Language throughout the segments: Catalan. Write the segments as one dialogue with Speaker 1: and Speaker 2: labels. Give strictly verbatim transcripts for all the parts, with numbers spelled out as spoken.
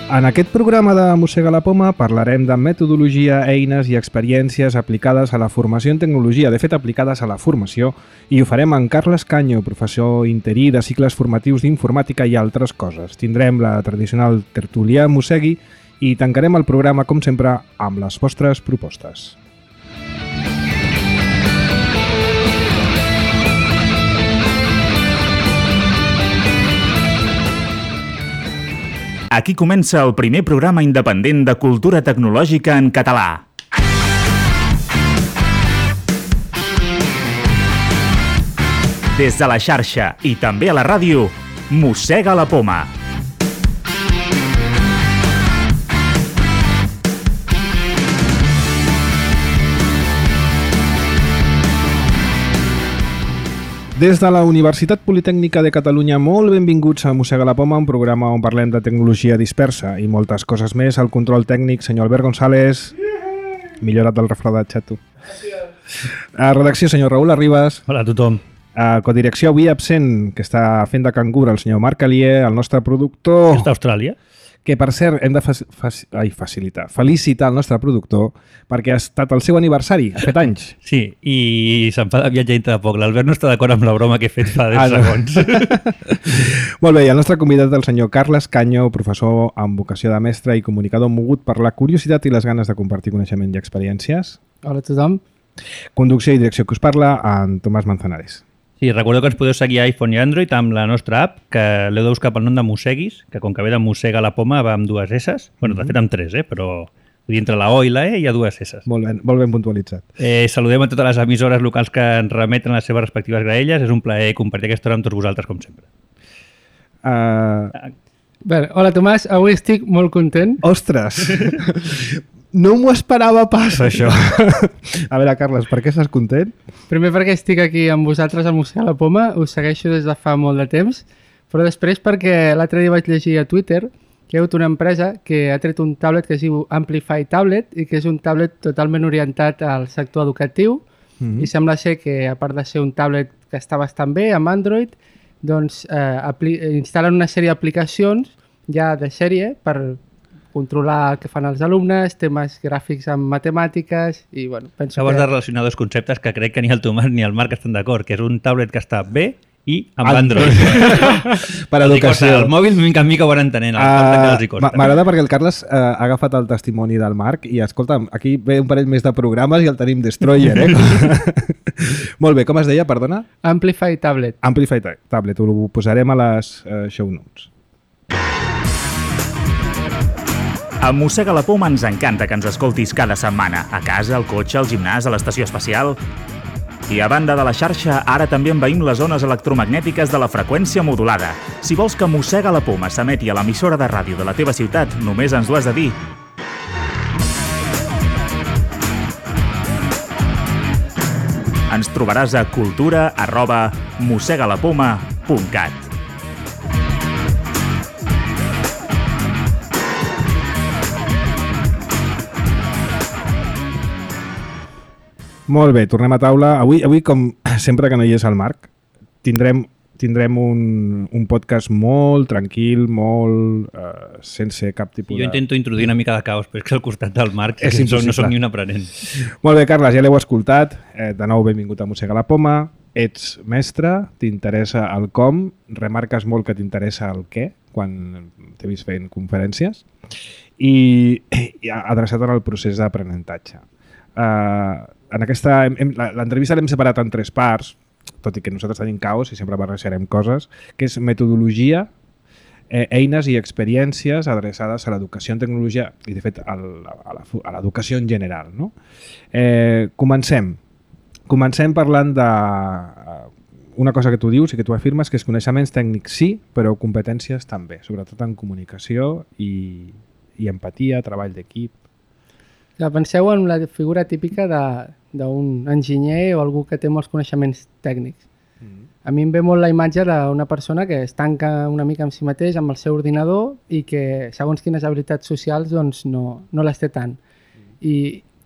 Speaker 1: En aquest programa de Mossega la Poma parlarem de metodologia, eines i experiències aplicades a la formació en tecnologia, de fet aplicades a la formació, i ho farem amb Carles Canyo, professor interí de cicles formatius d'informàtica i altres coses. Tindrem la tradicional tertúlia Mossegui i tancarem el programa, com sempre, amb les vostres propostes.
Speaker 2: Aquí comença el primer programa independent de cultura tecnològica en català. Des de la xarxa i també a la ràdio, Mossega la Poma.
Speaker 1: Des de la Universitat Politècnica de Catalunya, molt benvinguts a Mossega la Poma, un programa on parlem de tecnologia dispersa i moltes coses més. Al control tècnic, senyor Albert González. Millorat del refredatge, tu. A redacció, senyor Raül Arribas.
Speaker 3: Hola a tothom.
Speaker 1: A codirecció, avui absent, que està fent de cangur, el senyor Marc Alier, el nostre productor...
Speaker 3: Està a Austràlia.
Speaker 1: Que, per cert, hem de fa fa ai, facilitar, felicitar el nostre productor perquè ha estat el seu aniversari, ha fet anys.
Speaker 3: Sí, i se'n fa de viatge dintre de poc. L'Albert no està d'acord amb la broma que he fet fa deu ah, segons.
Speaker 1: Molt bé, i el nostre convidat és el senyor Carles Canyo, professor amb vocació de mestre i comunicador mogut per la curiositat i les ganes de compartir coneixement i experiències.
Speaker 4: Hola a tothom.
Speaker 1: Conducció i direcció que us parla, en Tomàs Manzanares.
Speaker 3: Sí, recordeu que ens podeu seguir a iPhone i Android amb la nostra app, que l'heu de buscar pel nom de Mosseguis, que com que ve de Mossega la Poma va amb dues S's, bueno, de fet amb tres, eh? Però entre la O i la E hi ha dues S's.
Speaker 1: Molt ben, molt ben puntualitzat.
Speaker 3: Eh, saludem a totes les emissores locals que ens remeten les seves respectives graelles. És un plaer compartir aquesta hora amb tots vosaltres, com sempre.
Speaker 1: Uh...
Speaker 4: Bé, hola Tomàs, avui estic molt content.
Speaker 1: Ostres! No m'ho esperava pas, això. A veure, Carles, per què estàs content?
Speaker 4: Primer perquè estic aquí amb vosaltres al Mossega la Poma, us segueixo des de fa molt de temps, però després perquè l'altre dia vaig llegir a Twitter que hi ha hagut una empresa que ha tret un tablet que es diu Amplify Tablet i que és un tablet totalment orientat al sector educatiu mm-hmm. i sembla ser que, a part de ser un tablet que està bastant bé amb Android, doncs eh, instal·len una sèrie d'aplicacions ja de sèrie per controlar el que fan els alumnes, temes gràfics amb matemàtiques i, bueno, penso
Speaker 3: Acabes
Speaker 4: que...
Speaker 3: de relacionar dos conceptes que crec que ni el Tomàs ni el Marc estan d'acord, que és un tablet que està bé i amb Android.
Speaker 1: Per educació.
Speaker 3: El mòbil, mica en mica ho van entenent.
Speaker 1: Uh, M'agrada perquè el Carles uh, ha agafat el testimoni del Marc i, escolta'm, aquí ve un parell més de programes i el tenim Destroyer, eh? Molt bé, com es deia, perdona?
Speaker 4: Amplify Tablet.
Speaker 1: Amplify Tablet, ho posarem a les uh, show notes.
Speaker 2: A Mossega la Poma ens encanta que ens escoltis cada setmana, a casa, al cotxe, al gimnàs, a l'estació espacial. I a banda de la xarxa, ara també envaïm les zones electromagnètiques de la freqüència modulada. Si vols que Mossega la Poma s'emeti a l'emissora de ràdio de la teva ciutat, només ens ho has de dir. Ens trobaràs a cultura arroba mossegalapoma punt cat.
Speaker 1: Molt bé, tornem a taula. Avui, avui com sempre que no hi és el Marc, tindrem, tindrem un, un podcast molt tranquil, molt uh, sense cap tipus de...
Speaker 3: Jo intento introduir una mica de caos, però és que al costat del Marc és no soc ni un aprenent.
Speaker 1: Molt bé, Carles, ja l'heu escoltat. Eh, de nou, benvingut a Mossega la Poma. Ets mestre, t'interessa el com, remarques molt que t'interessa el què, quan t'he vist fent conferències, i, i adreçat en el procés d'aprenentatge. Uh, en aquesta l'entrevista l'hem separat en tres parts, tot i que nosaltres tenim caos i sempre barrejarem coses, que és metodologia, eh, eines i experiències adreçades a l'educació en tecnologia i de fet a l'educació en general, no? Eh, comencem comencem parlant de una cosa que tu dius i que tu afirmes, que és coneixements tècnics sí, però competències també, sobretot en comunicació i, i empatia, treball d'equip.
Speaker 4: Ja, penseu en la figura típica d'un enginyer o algú que té molts coneixements tècnics. Mm. A mi em ve molt la imatge d'una persona que es tanca una mica amb si mateix, amb el seu ordinador, i que segons quines habilitats socials doncs, no, no les té tant. Mm. I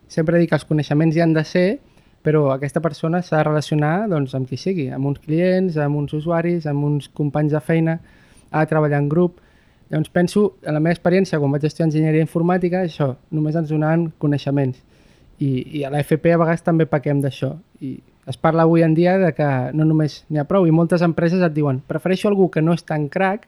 Speaker 4: sempre dic que els coneixements hi han de ser, però aquesta persona s'ha de relacionar doncs, amb qui sigui, amb uns clients, amb uns usuaris, amb uns companys de feina, ha de treballar en grup. Llavors penso, en la meva experiència, quan vaig estudiar enginyeria informàtica, això, només ens donaven coneixements. I, i a l'F P a vegades també pequem d'això. I es parla avui en dia de que no només n'hi ha prou, i moltes empreses et diuen prefereixo algú que no és tan crac,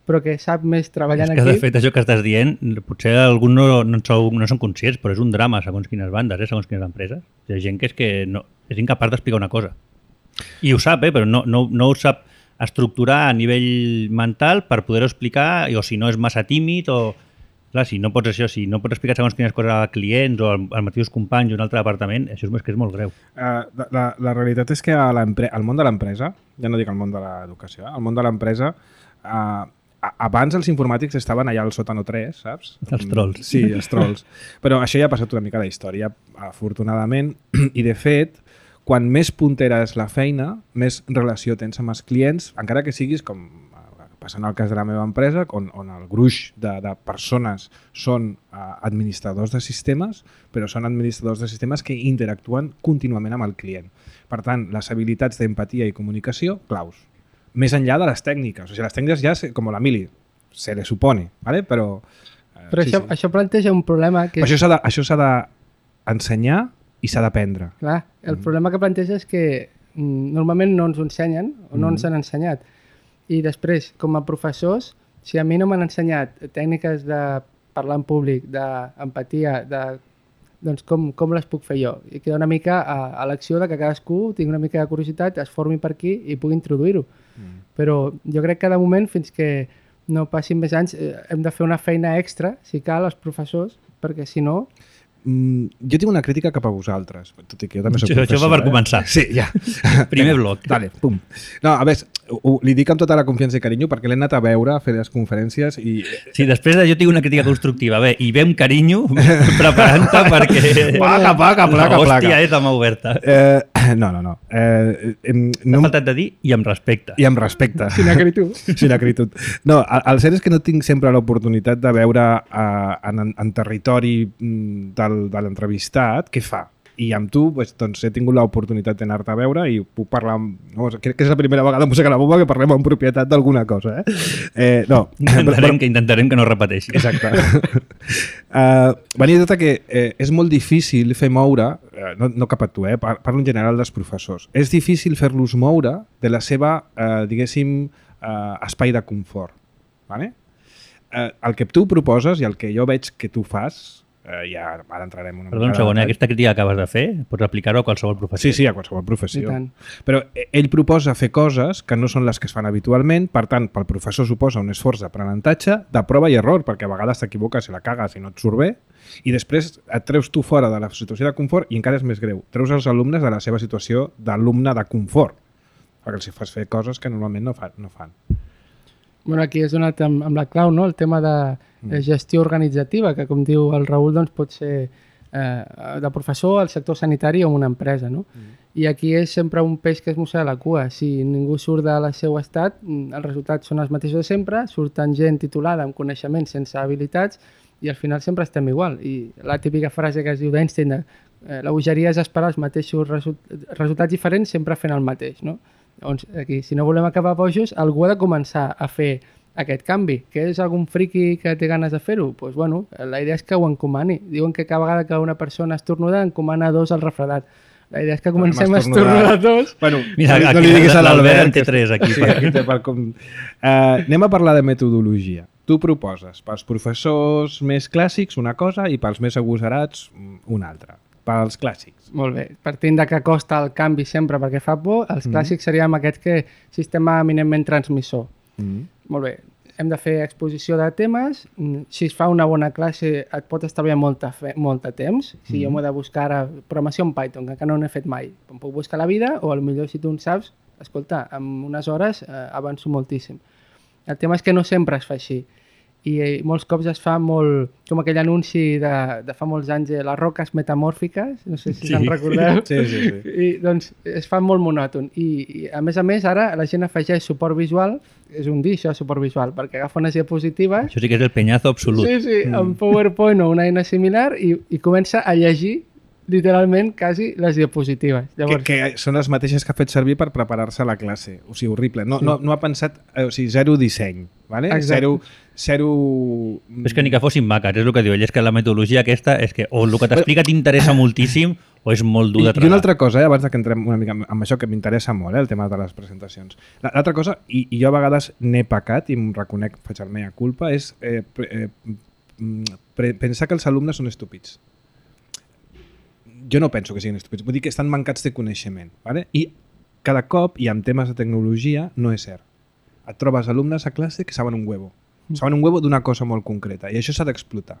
Speaker 4: però que sap més treballant
Speaker 3: aquí. És que,
Speaker 4: aquí.
Speaker 3: de fet, això que estàs dient, potser alguns no, no, sou, no són conscients, però és un drama segons quines bandes, eh, segons quines empreses. Hi ha gent que és, que no, és incapaç d'explicar una cosa. I ho sap, eh, però no, no, no ho sap estructurar a nivell mental per poder-ho explicar, o si no és massa tímid, o... Clar, si no pots això, si no pots explicar segons quines coses a clients o als mateixos companys o un altre departament, això és, que és molt greu.
Speaker 1: Uh, la, la realitat és que al món de l'empresa, ja no dic el món de l'educació, al món de l'empresa, uh, abans els informàtics estaven allà al sòtano tres, saps?
Speaker 3: Els trolls.
Speaker 1: Sí, els trolls. Però això ja ha passat una mica de història, afortunadament, i de fet, quan més puntera és la feina, més relació tens amb els clients, encara que siguis com... passant el cas de la meva empresa, on, on el gruix de, de persones són uh, administradors de sistemes, però són administradors de sistemes que interactuen contínuament amb el client. Per tant, les habilitats d'empatia i comunicació, claus. Més enllà de les tècniques. O sigui, les tècniques ja, com la Mili, se le supone, ¿vale? Però... Uh,
Speaker 4: però
Speaker 1: sí,
Speaker 4: això,
Speaker 1: sí.
Speaker 4: això planteja un problema que...
Speaker 1: Però això s'ha de, això s'ha d'ensenyar i s'ha d'aprendre.
Speaker 4: Clar, el mm. problema que planteja és que mm, normalment no ens ho ensenyen o no mm. ens han ensenyat. I després, com a professors, si a mi no m'han ensenyat tècniques de parlar en públic, d'empatia, de, doncs com, com les puc fer jo? I queda una mica a, a l'acció de que cadascú tingui una mica de curiositat, es formi per aquí i pugui introduir-ho. Mm. Però jo crec que de moment, fins que no passin més anys, eh, hem de fer una feina extra, si cal, als professors, perquè si no...
Speaker 1: Mm, jo tinc una crítica cap a vosaltres, tot i que jo també soc professor.
Speaker 3: Això va per
Speaker 1: eh?
Speaker 3: començar.
Speaker 1: Sí, ja.
Speaker 3: Primer bloc.
Speaker 1: Dale, pum. No, a veure, ho, li dic amb tota la confiança i carinyo perquè l'he anat a veure, a fer les conferències i...
Speaker 3: Sí, després de jo tinc una crítica constructiva. Bé, i ve amb carinyo preparant-te perquè...
Speaker 1: Placa, placa, placa,
Speaker 3: la hòstia
Speaker 1: placa.
Speaker 3: és la mà oberta.
Speaker 1: Eh, no, no, no. Eh, eh,
Speaker 3: no T'ha faltat de dir i amb respecte.
Speaker 1: I amb respecte.
Speaker 4: Sin acritud.
Speaker 1: Sin acritud. No, el, el cert és que no tinc sempre l'oportunitat de veure uh, en, en territori del de l'entrevistat, què fa? I amb tu pues, doncs, he tingut l'oportunitat d'anar-te a veure i puc parlar amb... No, crec que és la primera vegada amb Música a la Bomba que parlem amb propietat d'alguna cosa. Eh? Eh, no.
Speaker 3: Intentarem, que, intentarem que no repeteixi.
Speaker 1: Exacte. uh, venia tot que eh, és molt difícil fer moure, eh, no, no cap a tu, eh, parlo en general dels professors, és difícil fer-los moure de la seva, eh, diguéssim, eh, espai de confort. Vale? Eh, el que tu proposes i el que jo veig que tu fas, Uh, ja ara entrarem una
Speaker 3: Perdó, un segon, eh? Aquesta crítica que acabes de fer pots aplicar-ho a qualsevol professió.
Speaker 1: Sí, sí, a qualsevol professió. Però ell proposa fer coses que no són les que es fan habitualment, per tant, pel professor suposa un esforç d'aprenentatge, de prova i error, perquè a vegades t'equivoques i la cagues i no et surt bé, i després et treus tu fora de la situació de confort i encara és més greu, treus els alumnes de la seva situació d'alumne de confort, perquè els fas fer coses que normalment no fan. No fan.
Speaker 4: Bueno, aquí has donat amb, amb la clau, no? El tema de mm. gestió organitzativa, que com diu el Raül, doncs pot ser eh, de professor al sector sanitari o en una empresa, no? Mm. I aquí és sempre un peix que es mossega la cua. Si ningú surt del seu estat, els resultats són els mateixos de sempre, surten gent titulada amb coneixements sense habilitats i al final sempre estem igual. I la típica frase que es diu d'Einstein, eh, la bogeria és esperar els mateixos result resultats diferents sempre fent el mateix, no? Doncs aquí, si no volem acabar bojos, algú ha de començar a fer aquest canvi. Que és algun friqui que té ganes de fer-ho? Doncs pues, bueno, la idea és que ho encomani. Diuen que cada vegada que una persona estornuda encomana dos al refredat. La idea és que comencem a estornudar dos.
Speaker 1: Bueno,
Speaker 3: mira,
Speaker 1: no,
Speaker 3: aquí
Speaker 1: no li diguis a
Speaker 3: l'Albert en té tres aquí.
Speaker 1: Sí, aquí té per com... uh, anem a parlar de metodologia. Tu proposes pels professors més clàssics una cosa i pels més agosarats una altra. Pels clàssics.
Speaker 4: Molt bé. Partint de que costa el canvi sempre perquè fa por, els mm. clàssics seríem aquest que sistema eminentment transmissor. Mm. Molt bé. Hem de fer exposició de temes. Si es fa una bona classe et pot estalviar molt de temps. Si mm. jo m'ho he de buscar ara programació en Python, que encara no n'he fet mai. Em puc buscar la vida o potser si tu en saps, escolta, en unes hores eh, avanço moltíssim. El tema és que no sempre es fa així. I molts cops es fa molt, com aquell anunci de, de fa molts anys de les roques metamòrfiques, no sé si sí. se'n recordeu.
Speaker 1: Sí, sí, sí.
Speaker 4: I doncs es fa molt monòton. I, I a més a més ara la gent afegeix suport visual, és un dir això, suport visual, perquè agafa unes diapositives...
Speaker 3: Això sí que és el penyazo absolut.
Speaker 4: Sí, sí,
Speaker 1: mm.
Speaker 4: en PowerPoint o una eina similar i, i comença a llegir literalment quasi les diapositives.
Speaker 1: Llavors... Que, que són les mateixes que ha fet servir per preparar-se a la classe. O sigui, horrible. No, sí. no, no ha pensat... O sigui, zero disseny. Vale? Zero, zero...
Speaker 3: És que ni que fossin maques, és el que diu ell. És que la metodologia aquesta és que o el que t'explica t'interessa moltíssim o és molt dur de tragar.
Speaker 1: I una altra cosa, eh, abans que entrem una mica amb això que m'interessa molt, eh, el tema de les presentacions. L'altra cosa, i, i jo a vegades n'he pecat i em reconec, faig el mea culpa, és eh, eh, pensar que els alumnes són estúpids. Jo no penso que siguin estúpids, vull dir que estan mancats de coneixement. ¿Vale? I cada cop, i amb temes de tecnologia, no és cert. Et trobes alumnes a classe que saben un huevo. Saben un huevo d'una cosa molt concreta i això s'ha d'explotar.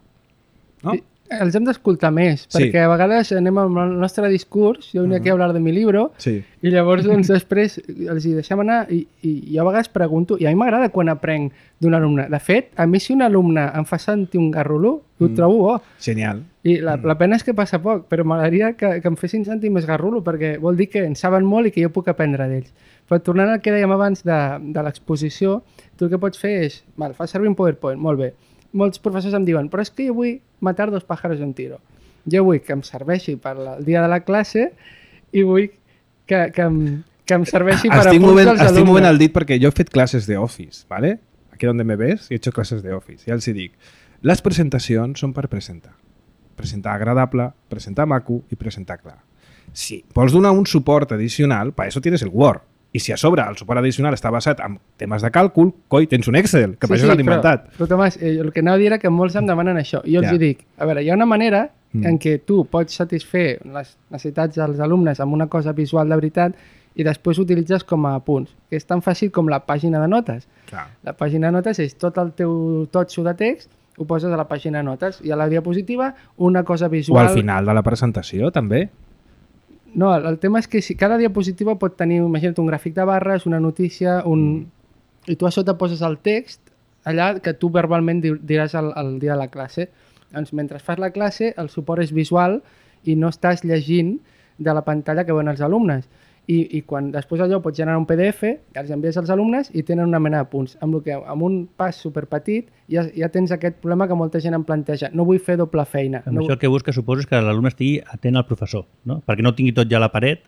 Speaker 1: No?
Speaker 4: I els hem d'escoltar més, sí. perquè a vegades anem amb el nostre discurs, jo venia uh -huh. aquí a hablar de mi libro, sí. i llavors doncs, després els hi deixem anar i, i jo a vegades pregunto, i a mi m'agrada quan aprenc d'un alumne. De fet, a mi si un alumne em fa sentir un garrulo, ho mm. trobo bo.
Speaker 1: Genial.
Speaker 4: I la, la pena és que passa poc, però m'agradaria que, que em fessin sentir més garrulo, perquè vol dir que en saben molt i que jo puc aprendre d'ells. Però tornant al que dèiem abans de, de l'exposició, tu el que pots fer és, val, fa servir un PowerPoint, molt bé. Molts professors em diuen, però és que jo vull matar dos pájaros de un tiro. Jo vull que em serveixi per el dia de la classe i vull que, que, em, que em serveixi per
Speaker 1: estic
Speaker 4: a punts
Speaker 1: movent,
Speaker 4: dels alumnes.
Speaker 1: Estic movent el dit perquè jo he fet classes de Office, ¿vale? Aquí on me ves, he hecho clases de Office. Ja els hi dic, les presentacions són per presentar. Presentar agradable, presentar maco i presentar clar. Si vols donar un suport addicional, per això tienes el Word. I si a sobre el suport addicional està basat en temes de càlcul, coi, tens un Excel, que sí, per això sí, s'han inventat.
Speaker 4: Però, però Tomàs, eh, el que anava a dir era que molts em demanen això. I jo ja. els dic, a veure, hi ha una manera mm. en què tu pots satisfer les necessitats dels alumnes amb una cosa visual de veritat i després utilitzes com a punts, que és tan fàcil com la pàgina de notes.
Speaker 1: Clar.
Speaker 4: La pàgina de notes és tot el teu totxo de text, ho poses a la pàgina de notes i a la diapositiva una cosa visual...
Speaker 1: O al final de la presentació, també.
Speaker 4: No, el, el tema és que si cada diapositiva pot tenir, imagina't, un gràfic de barres, una notícia, un... Mm. i tu a sota poses el text allà que tu verbalment diràs el, el dia de la classe. Doncs mentre fas la classe el suport és visual i no estàs llegint de la pantalla que veuen els alumnes. I, i quan després allò pots generar un P D F, els envies als alumnes i tenen una mena de punts. Amb, que, amb un pas superpetit ja, ja tens aquest problema que molta gent em planteja. No vull fer doble feina.
Speaker 3: Amb
Speaker 4: no
Speaker 3: això el que busca suposo és que l'alumne estigui atent al professor, no? Perquè no tingui tot ja a la paret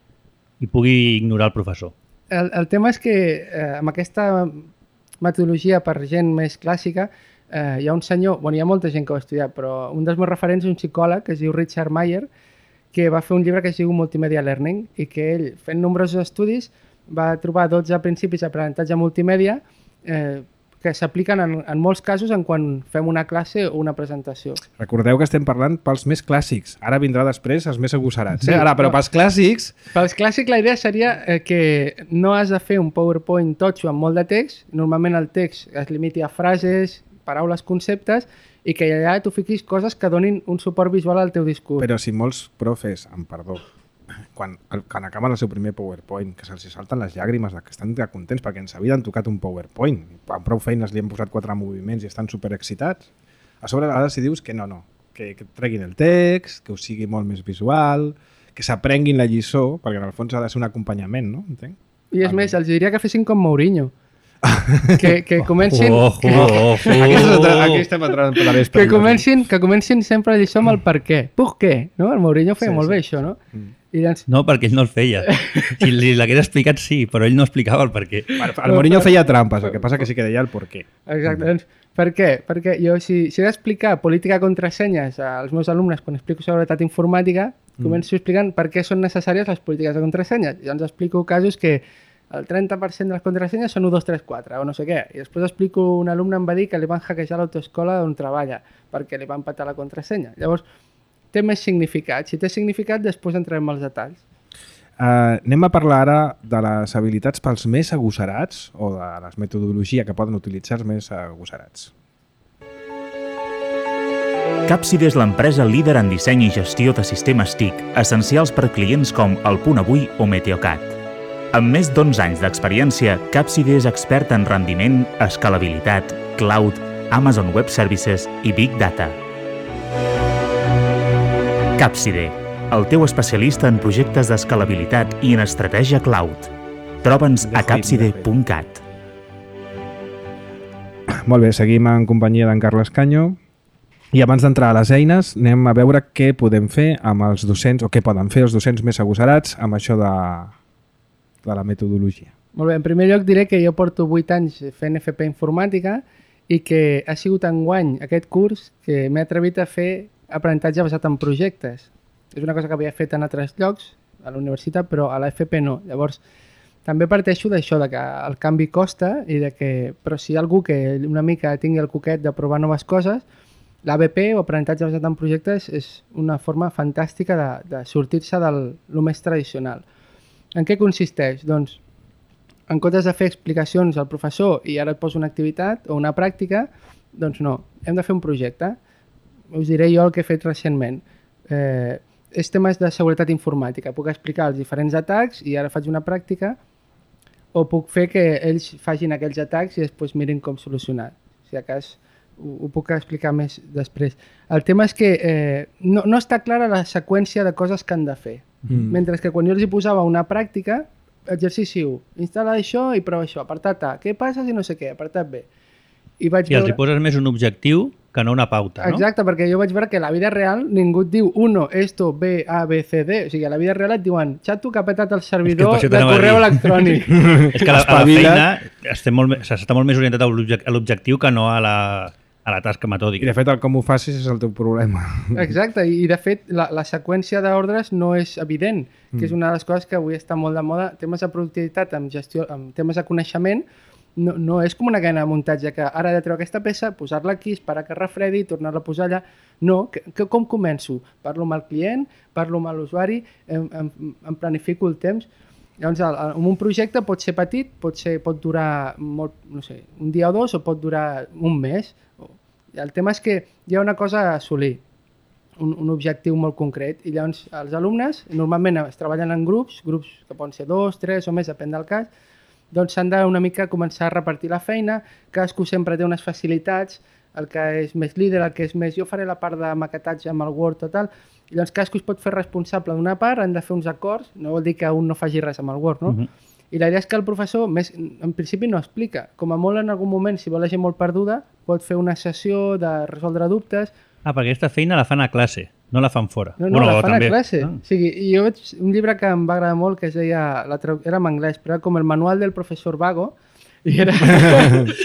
Speaker 3: i pugui ignorar el professor.
Speaker 4: El, el tema és que eh, amb aquesta metodologia per gent més clàssica eh, hi ha un senyor, bueno, hi ha molta gent que ho ha estudiat, però un dels meus referents és un psicòleg que es diu Richard Mayer, que va fer un llibre que es diu Multimedia Learning i que ell, fent nombrosos estudis, va trobar dotze principis d'aprenentatge multimèdia eh, que s'apliquen en, en molts casos en quan fem una classe o una presentació.
Speaker 1: Recordeu que estem parlant pels més clàssics. Ara vindrà després els més agosarats. Eh? Ara, però pels clàssics...
Speaker 4: Pels clàssics la idea seria eh, que no has de fer un PowerPoint totxo amb molt de text. Normalment el text es limiti a frases, paraules, conceptes, i que allà tu fiquis coses que donin un suport visual al teu discurs.
Speaker 1: Però si molts profes, amb perdó, quan, quan acaben el seu primer PowerPoint, que se'ls salten les llàgrimes, que estan contents perquè ens havien tocat un PowerPoint, amb prou feines li han posat quatre moviments i estan superexcitats, a sobre ara si dius que no, no, que, que treguin el text, que ho sigui molt més visual, que s'aprenguin la lliçó, perquè en el fons ha de ser un acompanyament, no? Entenc?
Speaker 4: I és més, els diria que fessin com Mourinho. Que, que comencin
Speaker 3: oh, oh, oh, oh.
Speaker 1: Aquí, aquí estem entrant per la vespre
Speaker 4: que comencin, que comencin sempre a lliçó amb el per què. Per què? No? El Mourinho feia sí, molt sí, bé això, no?
Speaker 3: Mm. I doncs... No, perquè ell no el feia. Si li l'hagués explicat sí, però ell no explicava el per què.
Speaker 1: Bueno, el Mourinho feia trampes, el que passa que sí que deia el per què.
Speaker 4: Exacte, mm. doncs per què? Perquè jo si, si he d'explicar política contrasenyes als meus alumnes quan explico seguretat informàtica, mm. començo explicant per què són necessàries les polítiques de contrasenyes. I llavors explico casos que el trenta per cent de les contrasenyes són u, dos, tres, quatre o no sé què. I després explico un alumne em va dir que li van hackejar l'autoescola on treballa perquè li van patar la contrasenya. Llavors, té més significat. Si té significat, després entrem als detalls.
Speaker 1: Uh, anem a parlar ara de les habilitats pels més agosarats o de les metodologies que poden utilitzar els més agosarats.
Speaker 2: Capside és l'empresa líder en disseny i gestió de sistemes T I C, essencials per clients com El Punt Avui o Meteocat. Amb més d'onze anys d'experiència, Capside és expert en rendiment, escalabilitat, cloud, Amazon Web Services i Big Data. Capside, el teu especialista en projectes d'escalabilitat i en estratègia cloud. Troba'ns a capside punt cat.
Speaker 1: Molt bé, seguim en companyia d'en Carles Canyo. I abans d'entrar a les eines, anem a veure què podem fer amb els docents, o què poden fer els docents més agosarats amb això de, de la metodologia.
Speaker 4: Molt bé, en primer lloc diré que jo porto vuit anys fent F P Informàtica i que ha sigut enguany aquest curs que m'he atrevit a fer aprenentatge basat en projectes. És una cosa que havia fet en altres llocs, a la universitat, però a la F P no. Llavors, també parteixo d'això, de que el canvi costa, i de que, però si hi ha algú que una mica tingui el coquet de provar noves coses, l'A B P o aprenentatge basat en projectes és una forma fantàstica de, de sortir-se del lo més tradicional. En què consisteix? Doncs, en comptes de fer explicacions al professor i ara et poso una activitat o una pràctica, doncs no, hem de fer un projecte. Us diré jo el que he fet recentment. Eh, és temes de seguretat informàtica. Puc explicar els diferents atacs i ara faig una pràctica, o puc fer que ells facin aquells atacs i després mirin com solucionar. Si a cas ho, ho puc explicar més després. El tema és que eh, no, no està clara la seqüència de coses que han de fer. Mm. Mentre que quan jo els hi posava una pràctica, exercici u, instal·la això i prova això, apartat A, què passa si no sé què, apartat B. I, vaig
Speaker 3: I els
Speaker 4: veure...
Speaker 3: hi poses més un objectiu que no una pauta, no?
Speaker 4: Exacte, perquè jo vaig veure que a la vida real ningú et diu uno, esto, B, A, B, C, D. O sigui, a la vida real et diuen xato que ha petat el servidor de correu electrònic.
Speaker 3: És que a la, a la feina estem molt, s'està molt més orientat a l'objectiu que no a la, a la tasca metòdica.
Speaker 1: I de fet el com ho facis és el teu problema.
Speaker 4: Exacte, i de fet la, la seqüència d'ordres no és evident, que mm. és una de les coses que avui està molt de moda. Temes de productivitat amb, gestió, amb temes de coneixement no, no és com una cadena de muntatge que ara he de treure aquesta peça, posar-la aquí, esperar que refredi, tornar-la a posar allà. No, que, que com començo? Parlo amb el client, parlo amb l'usuari, em, em, em planifico el temps. Llavors, el, el, un projecte pot ser petit, pot, ser, pot durar molt, no sé, un dia o dos, o pot durar un mes. El tema és que hi ha una cosa a assolir, un, un objectiu molt concret, i llavors els alumnes normalment es treballen en grups, grups que poden ser dos, tres o més, depèn del cas, doncs s'han de una mica començar a repartir la feina, cadascú sempre té unes facilitats, el que és més líder, el que és més... Jo faré la part de maquetatge amb el Word o tal, i llavors cadascú es pot fer responsable d'una part, han de fer uns acords, no vol dir que un no faci res amb el Word, no? Uh-huh. I la idea és que el professor, més, en principi no explica. Com a molt en algun moment, si vol la gent molt perduda, pot fer una sessió de resoldre dubtes.
Speaker 3: Ah, perquè aquesta feina la fan a classe, no la fan fora.
Speaker 4: No, no, bueno, la fan també a classe. Ah. O sigui, jo veig un llibre que em va agradar molt, que es deia, la era en anglès, però era com el manual del professor Vago, i era...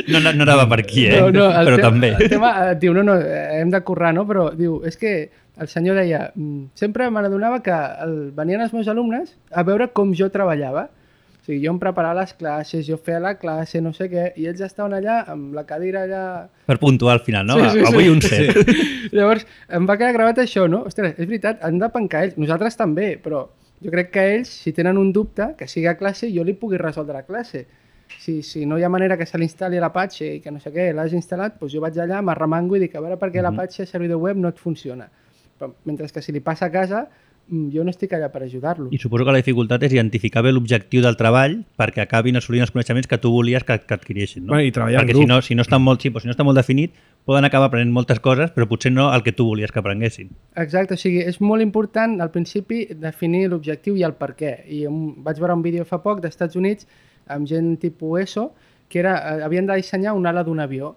Speaker 3: no, no, no anava per aquí, eh?
Speaker 4: No, no,
Speaker 3: però
Speaker 4: te
Speaker 3: també.
Speaker 4: El tema, diu, no, no, hem de currar, no? Però diu, és que el senyor deia, sempre me n'adonava que el, venien els meus alumnes a veure com jo treballava. O sigui, jo em preparava les classes, jo feia la classe, no sé què, i ells estaven allà amb la cadira allà...
Speaker 3: Per puntuar al final, no?
Speaker 4: Sí, sí,
Speaker 3: Avui
Speaker 4: sí.
Speaker 3: un set.
Speaker 4: Sí. Llavors, em va quedar gravat això, no? Ostres, és veritat, han de pencar ells, nosaltres també, però jo crec que ells, si tenen un dubte, que sigui a classe, jo li pugui resoldre a classe. Si, si no hi ha manera que se l'instal·li l'Apache i que no sé què, l'has instal·lat, doncs jo vaig allà, m'arremango i dic, a veure per què mm-hmm. l'Apache servidor web no et funciona. Però, mentre que si li passa a casa, jo no estic allà per ajudar-lo.
Speaker 3: I suposo que la dificultat és identificar bé l'objectiu del treball perquè acabin assolint els coneixements que tu volies que, que adquirissin, no?
Speaker 1: Bueno, i treballar
Speaker 3: perquè
Speaker 1: en grup.
Speaker 3: si no, si no està molt xip o si no està molt definit, poden acabar aprenent moltes coses, però potser no el que tu volies que aprenguessin.
Speaker 4: Exacte, o sigui, és molt important al principi definir l'objectiu i el per què. I un, vaig veure un vídeo fa poc dels Estats Units amb gent tipus ESO que era, havien de dissenyar una ala d'un avió.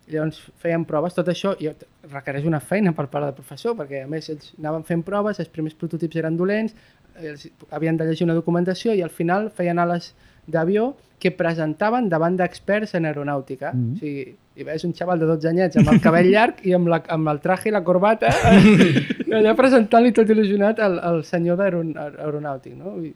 Speaker 4: Llavors feien proves, tot això i requereix una feina per part del professor, perquè a més ells anaven fent proves, els primers prototips eren dolents, ells havien de llegir una documentació i al final feien ales d'avió que presentaven davant d'experts en aeronàutica. Mm-hmm. O sigui, i veus un xaval de dotze anyets amb el cabell llarg i amb, la, amb el traje i la corbata allà presentant-li tot il·lusionat al, al senyor d'aeronàutic, no? I,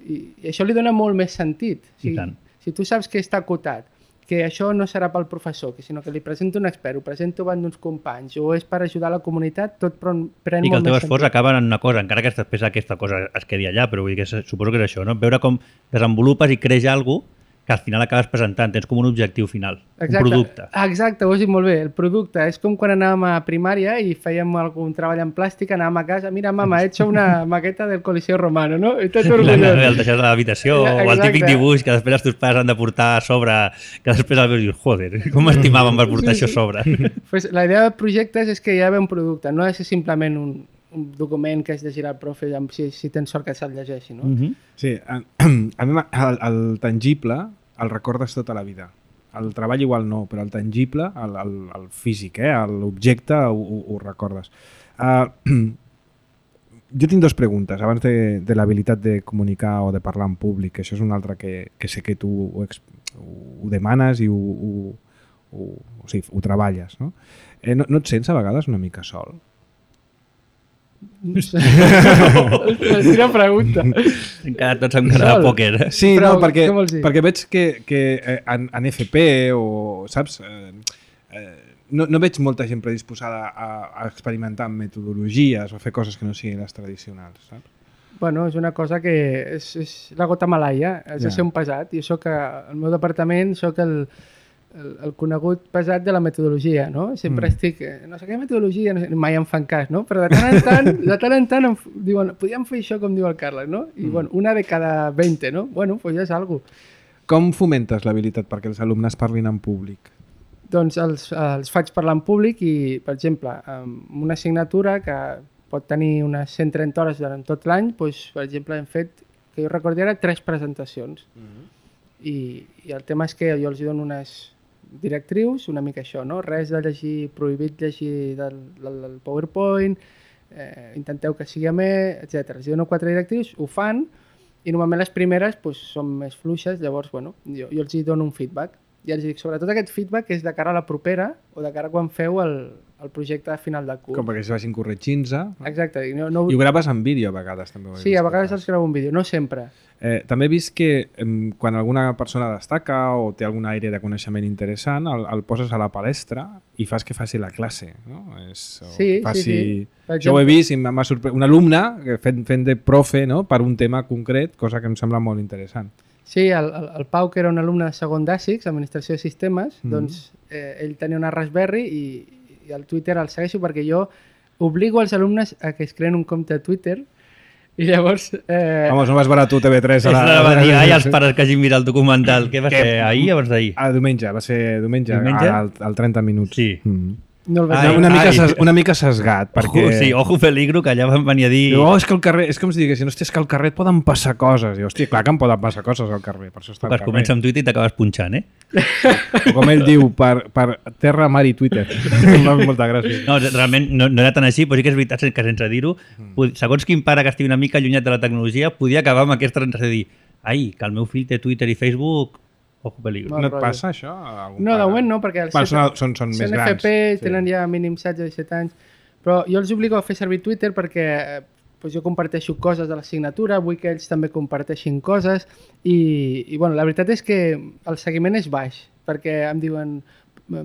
Speaker 4: i, I això li dona molt més sentit. O sigui, si tu saps que està acotat, que això no serà pel professor, que sinó que li presento un expert, ho presento davant d'uns companys, o és per ajudar la comunitat, tot pren molt més sentit.
Speaker 3: I que el teu esforç acaba en una cosa, encara que després aquesta cosa es quedi allà, però vull dir que suposo que és això, no? Veure com desenvolupes i creix alguna cosa que al final acabes presentant, tens com un objectiu final,
Speaker 4: exacte,
Speaker 3: un producte.
Speaker 4: Exacte, ho has dit molt bé, el producte. És com quan anàvem a primària i fèiem algun treball en plàstic, anàvem a casa, mira, mama, he hecho una maqueta del Coliseo Romano, no? I tot orgullós.
Speaker 3: El deixes a l'habitació, o el típic dibuix que després els teus pares han de portar a sobre, que després el veus i dius, joder, com estimaven per portar sí, això a sobre.
Speaker 4: Pues la idea de projectes és que hi ha un producte, no ha de ser simplement un, un document que has de girar al profe si, si tens sort que se'l llegeixi, no?
Speaker 1: Mm-hmm. Sí, a, a mi el, el tangible el recordes tota la vida. el treball igual no, però el tangible, el, el, el físic, eh? L'objecte ho, ho, ho recordes. Uh, jo tinc dues preguntes abans de, de l'habilitat de comunicar o de parlar en públic. Això és una altra que, que sé que tu ho, ho demanes i ho, ho, ho, o sigui, ho treballes. No? Eh, no, no et sents a vegades una mica sol?
Speaker 4: No sé. Quina pregunta.
Speaker 3: Hem quedat tots amb cara de pòquer. Eh?
Speaker 1: Sí,
Speaker 4: Però,
Speaker 1: no, perquè,
Speaker 4: què vols dir?
Speaker 1: perquè veig que, que en, en F P o, saps, eh, eh, no, no veig molta gent predisposada a, a experimentar amb metodologies o fer coses que no siguin les tradicionals, saps?
Speaker 4: Bueno, és una cosa que és, és la gota malaia, has
Speaker 1: Ja.
Speaker 4: de ser un pesat. Jo soc, al meu departament, soc el, el, el conegut pesat de la metodologia, no? Sempre
Speaker 1: Mm.
Speaker 4: estic, eh, no sé què metodologia, no sé, mai em fan cas, no? Però de tant en tant, de tant en tant em f- diuen, podríem fer això com diu el Carles, no? I
Speaker 1: Mm.
Speaker 4: bueno, una de cada veinte, no? Bueno, pues ja és algo.
Speaker 1: Com fomentes l'habilitat perquè els alumnes parlin en públic?
Speaker 4: Doncs els, els faig parlar en públic i, per exemple, amb una assignatura que pot tenir unes cent trenta hores durant tot l'any, doncs, per exemple, hem fet, que jo recordi ara, tres presentacions. I, I el tema és que jo els dono unes directrius, una mica això, no? Res de llegir, prohibit llegir del, del, del PowerPoint, eh, intenteu que sigui amè, etcètera. Els dono quatre directrius, ho fan, i normalment les primeres doncs, són més fluixes, llavors bueno, jo, jo els hi dono un feedback. I els dic, sobretot aquest feedback és de cara a la propera o de cara a quan feu el, el projecte de final de curs.
Speaker 1: Com perquè es vagin corregint-se.
Speaker 4: Exacte. i No, no...
Speaker 1: I ho graves en vídeo a vegades també. ho he
Speaker 4: Sí,
Speaker 1: vist
Speaker 4: a
Speaker 1: que
Speaker 4: vegades
Speaker 1: fas.
Speaker 4: els gravo un vídeo, no sempre.
Speaker 1: Eh, també he vist que em, quan alguna persona destaca o té algun aire de coneixement interessant, el, el poses a la palestra i fas que faci la classe. No? És, o
Speaker 4: Sí,
Speaker 1: que faci...
Speaker 4: sí, sí. Per
Speaker 1: Jo ho he
Speaker 4: exemple.
Speaker 1: vist i m'ha sorprès. Un alumne que fent, fent de profe, no? Per un tema concret, cosa que em sembla molt interessant.
Speaker 4: Sí, el, el, el Pau, que era un alumne de segon d'Àsics, Administració de Sistemes,
Speaker 1: Mhm.
Speaker 4: doncs eh, ell tenia una Raspberry i, i al Twitter el segueixo perquè jo obligo als alumnes a que es creen un compte a Twitter i llavors... Eh,
Speaker 1: Vamos, no vas veure tu T V tres a
Speaker 3: És
Speaker 1: la...
Speaker 3: la va dir, ai, els pares que hagin mirat el documental. Què va ser, ahir o abans d'ahir?
Speaker 1: Ah, diumenge, va ser diumenge,
Speaker 3: Diumenge?
Speaker 1: al, al trenta minuts.
Speaker 3: Sí.
Speaker 1: Mm.
Speaker 4: no el vaig
Speaker 3: Ai,
Speaker 4: veure.
Speaker 1: una, mica
Speaker 3: ai.
Speaker 1: ses, una mica sesgat, perquè...
Speaker 3: Ojo, sí, ojo peligro, que allà van venir a dir...
Speaker 1: Diu, oh, és que al carrer, és com si diguessin, hòstia, és que al carrer et poden passar coses. I, hòstia, clar que em poden passar coses al carrer, per això està al
Speaker 3: Vas
Speaker 1: carrer.
Speaker 3: començar amb Twitter i t'acabes punxant, eh?
Speaker 1: O com ell diu, per, per terra, mar i Twitter. Molta gràcia.
Speaker 3: No, realment no, no era tan així, però sí que és veritat que sense dir-ho, pod- segons quin pare que estigui una mica allunyat de la tecnologia, podia acabar amb aquesta transició de dir, ai, que el meu fill té Twitter i Facebook, ojo peligro.
Speaker 4: Mal
Speaker 1: No et
Speaker 4: rotllo.
Speaker 1: passa això? a algun
Speaker 4: No, de
Speaker 1: pare?
Speaker 4: moment no, perquè els
Speaker 1: Bueno,
Speaker 4: set-
Speaker 1: són, són, són més
Speaker 4: són
Speaker 1: grans.
Speaker 4: F P, tenen ja mínim setze o disset anys, però jo els obligo a fer servir Twitter perquè eh, doncs jo comparteixo coses de l'assignatura, vull que ells també comparteixin coses i, i bueno, la veritat és que el seguiment és baix, perquè em diuen,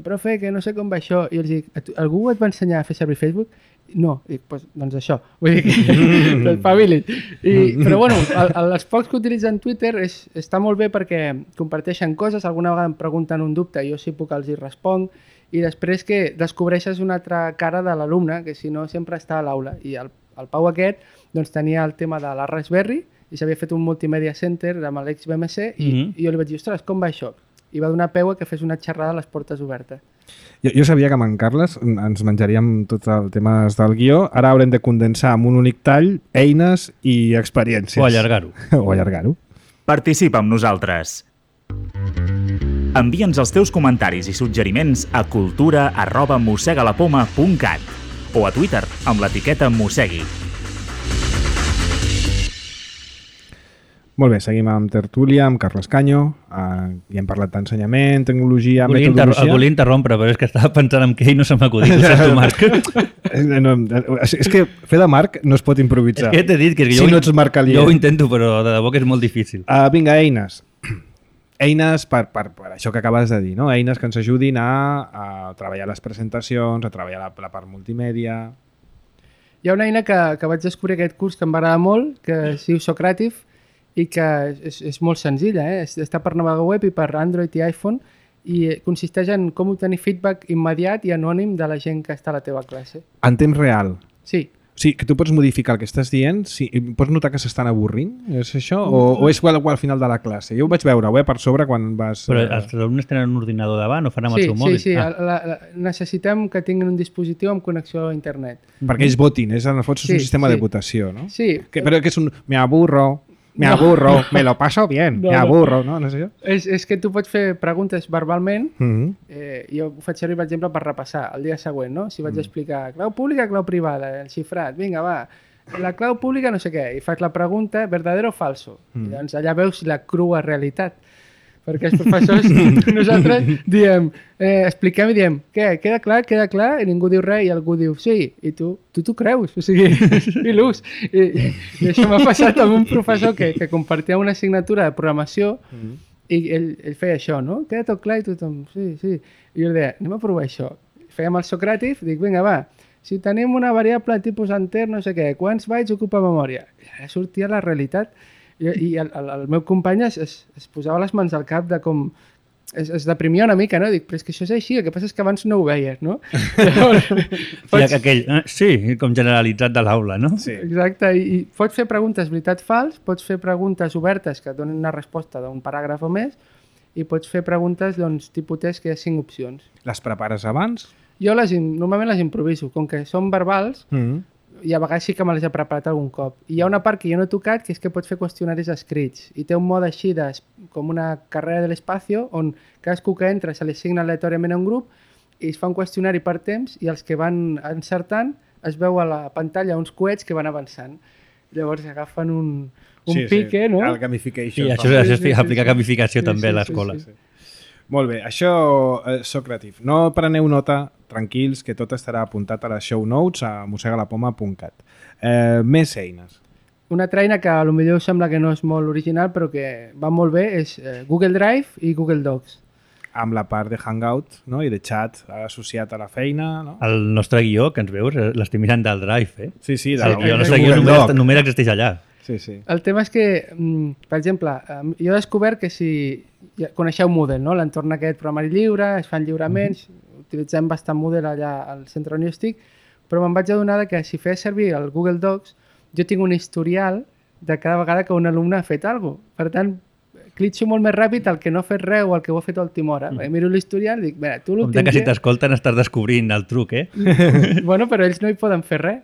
Speaker 4: profe, que no sé com va això, i els dic, "A tu- algú et va ensenyar a fer servir Facebook? No, dic, pues, doncs això, vull dir que espavilin. I, però bueno, el, el, els pocs que utilitzen Twitter és, està molt bé perquè comparteixen coses, alguna vegada em pregunten un dubte, jo sí puc els hi responc, i després que descobreixes una altra cara de l'alumne, que si no sempre està a l'aula. I el, el Pau aquest doncs, tenia el tema de la Raspberry i s'havia fet un multimedia center amb l'X B M C i,
Speaker 3: Mhm.
Speaker 4: i jo li vaig dir, ostres, com va això? I va donar peu a que fes una xerrada a les portes obertes.
Speaker 1: Jo, jo sabia que amb en Carles ens menjaríem tot el tema del guió. Ara haurem de condensar amb un únic tall eines i experiències.
Speaker 3: O allargar-ho.
Speaker 1: O allargar-ho.
Speaker 2: Participa amb nosaltres. Envia'ns els teus comentaris i suggeriments a cultura arroba mossegalapoma punt cat o a Twitter amb l'etiqueta mossegui.
Speaker 1: Molt bé, seguim amb tertúlia, amb Carles Canyo. Uh, ja hem parlat d'ensenyament, tecnologia,
Speaker 3: Volia, inter
Speaker 1: metodologia.
Speaker 3: volia interrompre, però és que estava pensant en què i no se m'ha acudit. Ho sento, Marc.
Speaker 1: Eh, no, és és que fer de Marc no es pot
Speaker 3: És
Speaker 1: improvisar.
Speaker 3: que t'he dit que
Speaker 1: Si
Speaker 3: jo,
Speaker 1: no ets Marc Alier.
Speaker 3: jo ho intento, però de debò que és molt difícil.
Speaker 1: Uh, vinga, eines. Eines per, per, per això que acabes de dir, no? Eines que ens ajudin a, a treballar les presentacions, a treballar la, la part multimèdia...
Speaker 4: Hi ha una eina que, que vaig descobrir aquest curs que m'agrada molt, que es diu Socrative, i que és, és molt senzilla, eh? Està per navegador web i per Android i iPhone, i consisteix en com obtenir feedback immediat i anònim de la gent que està a la teva classe.
Speaker 1: En temps real.
Speaker 4: Sí,
Speaker 1: O sigui, que tu pots modificar el que estàs dient, si, pots notar que s'estan avorrint, és això? O, o és igual, igual al final de la classe? Jo ho vaig veure eh, per sobre quan vas...
Speaker 3: Però
Speaker 1: eh,
Speaker 3: els alumnes tenen un ordinador davant o fan amb
Speaker 4: sí,
Speaker 3: el seu
Speaker 4: sí,
Speaker 3: mòbil?
Speaker 4: sí.
Speaker 3: Ah.
Speaker 4: La, la, necessitem que tinguin un dispositiu amb connexió a internet.
Speaker 1: Perquè ells votin, és, en el fons és
Speaker 4: Sí,
Speaker 1: un sistema
Speaker 4: sí.
Speaker 1: de votació, no?
Speaker 4: Sí,
Speaker 1: Que, però que és un... Me aburro, Me aburro, me lo paso bien,
Speaker 4: No,
Speaker 1: me
Speaker 4: no.
Speaker 1: aburro, no? No sé jo.
Speaker 4: És, és que tu pots fer preguntes verbalment.
Speaker 1: Mm -hmm.
Speaker 4: Eh, jo ho faig servir, per exemple, per repassar el dia següent, no? Si vaig explicar clau pública, clau privada, el xifrat, vinga, va, la clau pública no sé què, i faig la pregunta, verdadero o falso? Mm. I doncs allà veus la crua realitat. Perquè els professors, nosaltres diem, eh, expliquem i diem, què, queda clar, queda clar, i ningú diu res, i algú diu, sí, i tu tu t'ho creus, o sigui, i l'ús. I, i, I això m'ha passat amb un professor que, que compartia una assignatura de programació, mm. i ell, ell feia això, no? Queda tot clar i tothom, sí, sí. I jo deia, anem a provar això. Fèiem el Socràtic, dic, vinga, va, si tenim una variable tipus enter, no sé què, quants bytes ocupa memòria? I ara sortia la realitat. I, i el, el, el meu company es, es, es posava les mans al cap de com... Es, es deprimia una mica, no? Dic, però és que això és així, el que passa és que abans no ho veies, no? Llavors,
Speaker 3: pots... I aquell, eh, sí, com generalitzat de l'aula, no?
Speaker 1: Sí.
Speaker 4: Exacte, i, i pots fer preguntes veritat-fals, pots fer preguntes obertes que et donen una resposta d'un paràgraf o més, i pots fer preguntes, doncs, tipus test, que hi ha cinc opcions.
Speaker 1: Les prepares abans?
Speaker 4: Jo les, normalment les improviso, com que són verbals, mm -hmm. i a vegades sí que me les he preparat algun cop. I hi ha una part que jo no he tocat, que és que pots fer qüestionaris escrits. I té un mode així, de, com una carrera de l'espacio, on cadascú que entra se li assigna aleatòriament a un grup i es fa un qüestionari per temps i els que van encertant es veu a la pantalla uns coets que van avançant. Llavors agafen un, un
Speaker 1: sí,
Speaker 4: pique,
Speaker 1: sí.
Speaker 4: no?
Speaker 1: El gamification.
Speaker 3: Sí, això,
Speaker 1: sí,
Speaker 3: això és
Speaker 4: sí, sí,
Speaker 3: aplicar
Speaker 4: sí.
Speaker 3: gamificació
Speaker 4: Sí,
Speaker 3: també
Speaker 4: sí,
Speaker 3: a l'escola.
Speaker 4: sí, sí, sí.
Speaker 1: Molt bé, això és Socrative. No preneu nota, tranquils, que tot estarà apuntat a les show notes a mosegalapoma punt cat. Eh, més eines.
Speaker 4: Una altra eina que potser us sembla que no és molt original però que va molt bé és eh, Google Drive i Google Docs.
Speaker 1: Amb la part de Hangout, no? I de chat associat a la feina. No?
Speaker 3: El nostre guió, que ens veus, l'estem mirant del Drive, eh?
Speaker 1: Sí, sí. De
Speaker 3: El, guió, el nostre guió només, només existeix allà.
Speaker 1: Sí, sí.
Speaker 4: El tema és que, per exemple, jo he descobert que si ja coneixeu Moodle, no? L'entorn aquest programari lliure, es fan lliuraments, mm-hmm. utilitzem bastant Moodle allà al centre on jo estic, però me'n vaig adonar que si feia servir el Google Docs, jo tinc un historial de cada vegada que un alumne ha fet alguna cosa. Per tant, clitxo molt més ràpid el que no ha fet res o el que ho ha fet a última hora. Mm. Miro l'historial i dic, mira, tu l'últim
Speaker 3: dia... Com que si
Speaker 4: dia...
Speaker 3: t'escolten estàs descobrint el truc, eh?
Speaker 4: Bueno, però ells no hi poden fer res.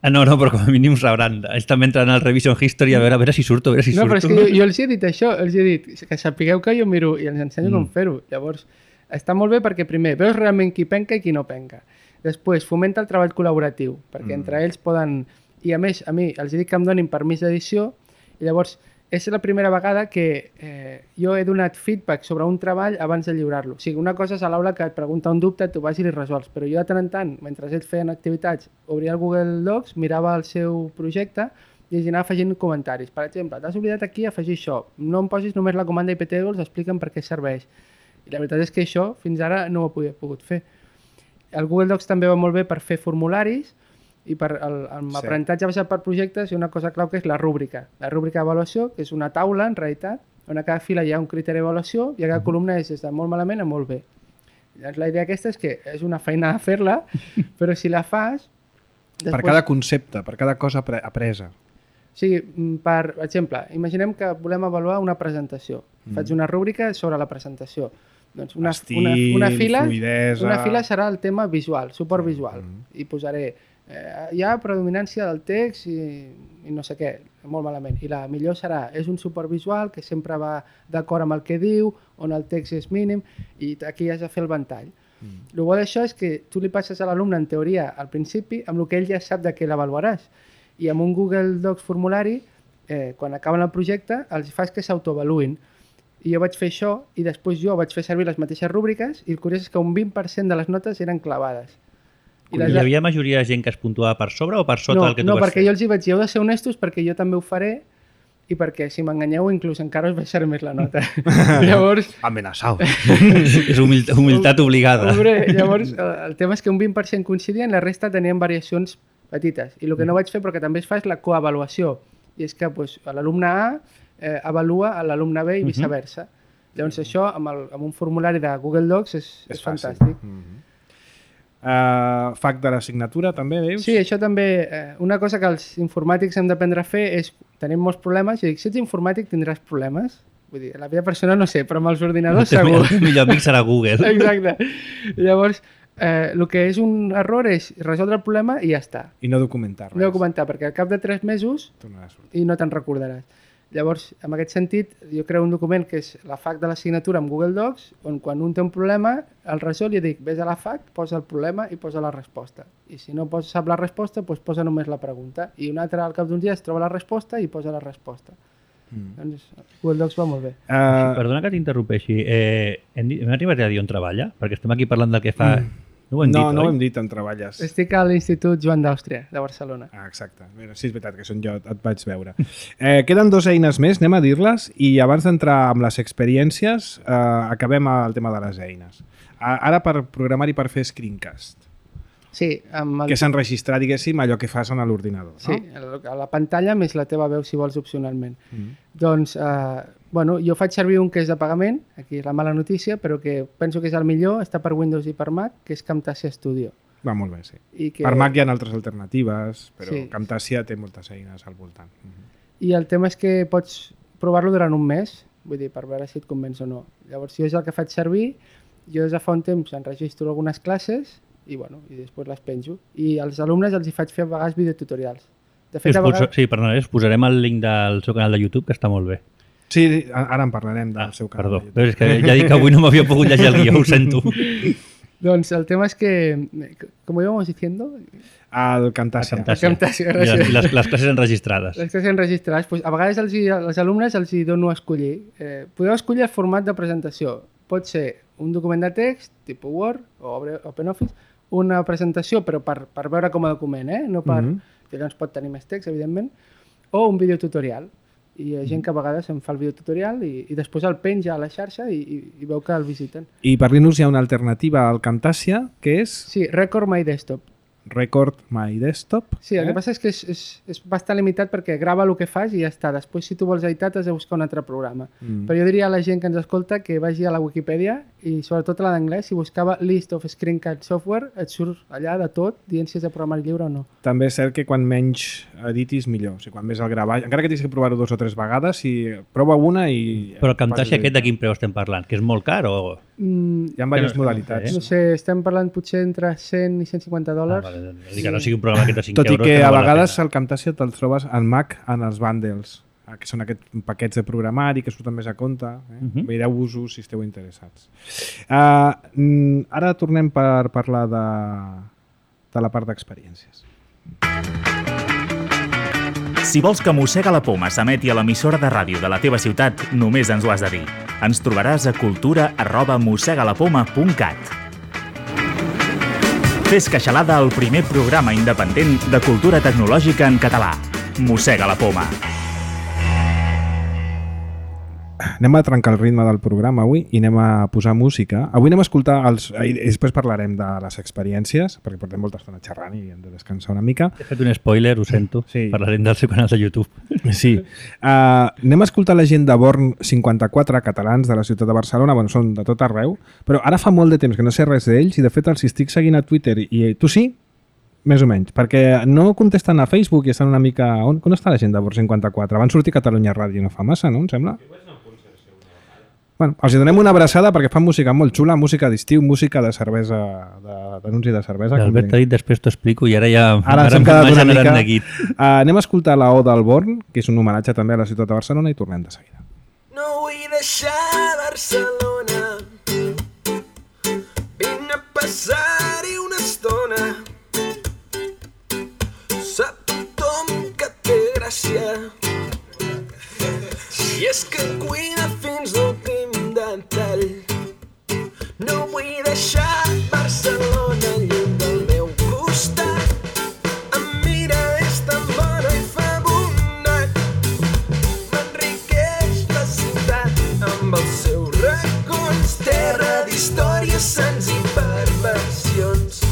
Speaker 3: Ah, no, no, però com a mínim sabran. Ells també entren al Revision History a veure, a veure si surto, a veure si
Speaker 4: no,
Speaker 3: surto.
Speaker 4: No, però és que jo, jo els he dit això, els he dit que sapigueu que jo miro i els ensenyo mm. com fer-ho. Llavors, està molt bé perquè primer veus realment qui penca i qui no penca. Després, fomenta el treball col·laboratiu, perquè mm. entre ells poden... I a més, a mi els dic que em donin permís d'edició i llavors és la primera vegada que eh, jo he donat feedback sobre un treball abans de lliurar-lo. O sigui, una cosa és a l'aula que et pregunta un dubte, tu vas i li resols, però jo de tant en tant, mentre ells feien activitats, obria el Google Docs, mirava el seu projecte i els anava afegint comentaris. Per exemple, t'has oblidat aquí afegir això, no em posis només la comanda iptables, expliquen per què serveix. I la veritat és que això fins ara no ho he pogut fer. El Google Docs també va molt bé per fer formularis i per el, amb sí. aprenentatge basat per projectes hi ha una cosa clau que és la rúbrica. La rúbrica d'avaluació, que és una taula, en realitat, on a cada fila hi ha un criteri d'avaluació i a cada columna és des de molt malament a molt bé. Llavors, la idea aquesta és que és una feina a fer-la, però si la fas...
Speaker 1: Després... Per cada concepte, per cada cosa apresa.
Speaker 4: O sigui, per exemple, imaginem que volem avaluar una presentació. Mm. Faig una rúbrica sobre la presentació. Doncs una,
Speaker 1: Estil,
Speaker 4: una, una, fila,
Speaker 1: fluidesa...
Speaker 4: una fila serà el tema visual, suport
Speaker 1: sí.
Speaker 4: visual.
Speaker 1: Mm.
Speaker 4: I posaré eh, hi ha predominància del text i, i no sé què, molt malament. I la millor serà, és un suport visual que sempre va d'acord amb el que diu, on el text és mínim, i aquí has de fer el ventall. Mm. El bo d'això és que tu li passes a l'alumne, en teoria, al principi, amb el que ell ja sap de què l'avaluaràs. I amb un Google Docs formulari, eh, quan acaben el projecte, els fas que s'autoavaluïn. I jo vaig fer això, i després jo vaig fer servir les mateixes rúbriques, i el curiós és que un vint per cent de les notes eren clavades.
Speaker 3: I les... Hi havia majoria de gent que es puntuava per sobre o per sota
Speaker 4: no,
Speaker 3: del que tu
Speaker 4: no,
Speaker 3: vas fer?
Speaker 4: No, perquè jo els hi vaig dir, heu de ser honestos perquè jo també ho faré, i perquè si m'enganyeu inclús encara us baixaré més la nota. Llavors...
Speaker 1: Amenaçau.
Speaker 3: És humil humilitat obligada.
Speaker 4: Hombre, llavors, el tema és que un vint per cent coincidien, la resta tenien variacions petites. I el que no vaig fer, però que també es fa, és la coavaluació. I és que pues, l'alumne A eh, avalua a l'alumne B i viceversa. Uh -huh. Llavors això, amb, el, amb un formulari de Google Docs, és, és, és fantàstic. Uh -huh.
Speaker 1: Uh, F A Q de l'assignatura també, veus?
Speaker 4: Sí, això també, eh, una cosa que els informàtics hem d'aprendre a fer és, tenim molts problemes, i dic, si ets informàtic tindràs problemes. Vull dir, la vida personal no sé, però amb els ordinadors segur.
Speaker 3: El millor amic serà Google.
Speaker 4: Exacte. Llavors, eh, el que és un error és resoldre el problema i ja està.
Speaker 1: I no documentar res.
Speaker 4: No documentar, perquè al cap de tres mesos i no te'n recordaràs. Llavors, en aquest sentit, jo creo un document que és la F A Q de la signatura amb Google Docs, on quan un té un problema, el resol li dic, vés a la F A Q, posa el problema i posa la resposta. I si no posa, sap la resposta, doncs posa només la pregunta. I un altre al cap d'uns dies troba la resposta i posa la resposta. Mm. Doncs Google Docs va molt bé.
Speaker 3: Uh... Perdona que t'interrompeixi. Eh, hem, hem arribat a dir on treballa? Perquè estem aquí parlant del que fa... Mm. No ho hem
Speaker 1: no,
Speaker 3: dit,
Speaker 1: no
Speaker 3: oi?
Speaker 1: ho hem dit on treballes.
Speaker 4: Estic a l'Institut Joan d'Àustria, de Barcelona.
Speaker 1: Ah, exacte. Mira, sí, és veritat que són jo, et vaig veure. Eh, queden dues eines més, anem a dir-les, i abans d'entrar amb les experiències, eh, acabem el tema de les eines. Ara per programar i per fer screencast.
Speaker 4: Sí, amb el...
Speaker 1: Que s'han registrat, diguéssim, allò que fas en l'ordinador.
Speaker 4: Sí,
Speaker 1: no?
Speaker 4: A la pantalla més la teva veu, si vols, opcionalment.
Speaker 1: Mm.
Speaker 4: Doncs, eh, bueno, jo faig servir un que és de pagament, aquí és la mala notícia, però que penso que és el millor, està per Windows i per Mac, que és Camtasia Studio.
Speaker 1: Va molt bé, sí.
Speaker 4: I que...
Speaker 1: Per Mac hi ha altres alternatives, però
Speaker 4: sí.
Speaker 1: Camtasia té moltes eines al voltant. Mm-hmm.
Speaker 4: I el tema és que pots provar-lo durant un mes, vull dir, per veure si et convenç o no. Llavors, jo és el que faig servir, jo des de fa un temps enregistro algunes classes i, bueno, i després les penjo. I als alumnes els hi faig fer a vegades videotutorials. De fet,
Speaker 3: sí,
Speaker 4: a vegades...
Speaker 3: Sí, perdona, us posarem el link del seu canal de YouTube, que està molt bé.
Speaker 1: Sí, ara en parlarem del ah, seu canal.
Speaker 3: Perdó, però és que ja dic que avui no m'havia pogut llegir el guió, ho sento.
Speaker 4: Doncs el tema és que, com íbamos diciendo...
Speaker 1: El Camtasia.
Speaker 4: El Camtasia,
Speaker 3: I les, les, les classes enregistrades.
Speaker 4: Les classes enregistrades. Pues, a vegades els, als alumnes els hi dono a escollir. Eh, podeu escollir el format de presentació. Pot ser un document de text, tipus Word o OpenOffice, una presentació, però per, per veure com a document, eh? No per... Mm-hmm. Llavors pot tenir més text, evidentment, o un videotutorial. I hi ha gent que a vegades em fa el videotutorial i, i després el penja a la xarxa i, i, i veu que el visiten.
Speaker 1: I per Linux hi ha una alternativa al Camtasia, que és...
Speaker 4: Sí, Record My Desktop.
Speaker 1: Record My Desktop.
Speaker 4: Sí, el
Speaker 1: eh?
Speaker 4: que passa és que és, és, és bastant limitat perquè grava el que fas i ja està. Després, si tu vols editar, t'has de buscar un altre programa. Mm. Però jo diria a la gent que ens escolta que vagi a la Wikipedia i sobretot a la d'anglès, si buscava List of Screencast Software, et surt allà de tot, dient si és de programari lliure o no.
Speaker 1: També és cert que quan menys editis, millor. O sigui, quan més el gravar, encara que tinguis que provar-ho dos o tres vegades, si prova una i...
Speaker 3: Però el Camtasia aquest de quin preu estem parlant? Que és molt car o...?
Speaker 4: Mm,
Speaker 1: hi ha diverses no, modalitats.
Speaker 4: No sé, estem parlant potser entre cent i cent cinquanta dòlars.
Speaker 3: Ah, vale. Sí. Que no sigui un programa que de cinc
Speaker 1: Tot
Speaker 3: euros...
Speaker 1: Tot i que,
Speaker 3: que
Speaker 1: no
Speaker 3: a
Speaker 1: vegades el Camtasia te'l trobes al Mac en els bundles, que són aquests paquets de programari que surten més a compte. Eh? Uh-huh. Veireu-vos-ho si esteu interessats. Uh, ara tornem per parlar de, de la part d'experiències.
Speaker 2: Si vols que Mossega la Poma s'emeti a l'emissora de ràdio de la teva ciutat, només ens ho has de dir. Ens trobaràs a cultura arroba mossegalapoma punt cat. Fes Queixalada, el primer programa independent de cultura tecnològica en català. Mossega la Poma.
Speaker 1: Anem a trencar el ritme del programa avui i anem a posar música. Avui anem a escoltar, els, i després parlarem de les experiències, perquè portem molta estona xerrant i hem de descansar una mica.
Speaker 3: He fet un spoiler, ho sento, sí. Parlarem del seu canal de YouTube.
Speaker 1: Sí. Uh, anem a escoltar la gent de Born cinquanta-quatre, catalans de la ciutat de Barcelona, bueno, són de tot arreu, però ara fa molt de temps que no sé res d'ells i de fet els estic seguint a Twitter i tu sí? Més o menys, perquè no contesten a Facebook i estan una mica... On, on està la gent de Born cinquanta-quatre? Van sortir a Catalunya Ràdio no fa massa, no? Em sembla? Bueno, els donem una abraçada perquè fan música molt xula, música d'estiu, música de cervesa, d'anunci de, de cervesa.
Speaker 3: L'Albert ha dit, després t'ho explico i ara ja...
Speaker 1: Ara ens hem quedat una mica... Uh, anem a escoltar la O del Born, que és un homenatge també a la ciutat de Barcelona, i tornem de seguida.
Speaker 5: No vull deixar Barcelona, vine a passar-hi una estona, sap tothom que té gràcia, i és que cuina fins l'últim detall. No vull deixar Barcelona lluny del meu costat. Em mira, és tan bona i fa bondat. M'enriqueix la ciutat amb els seus racons, terra d'històries, sants i perversions.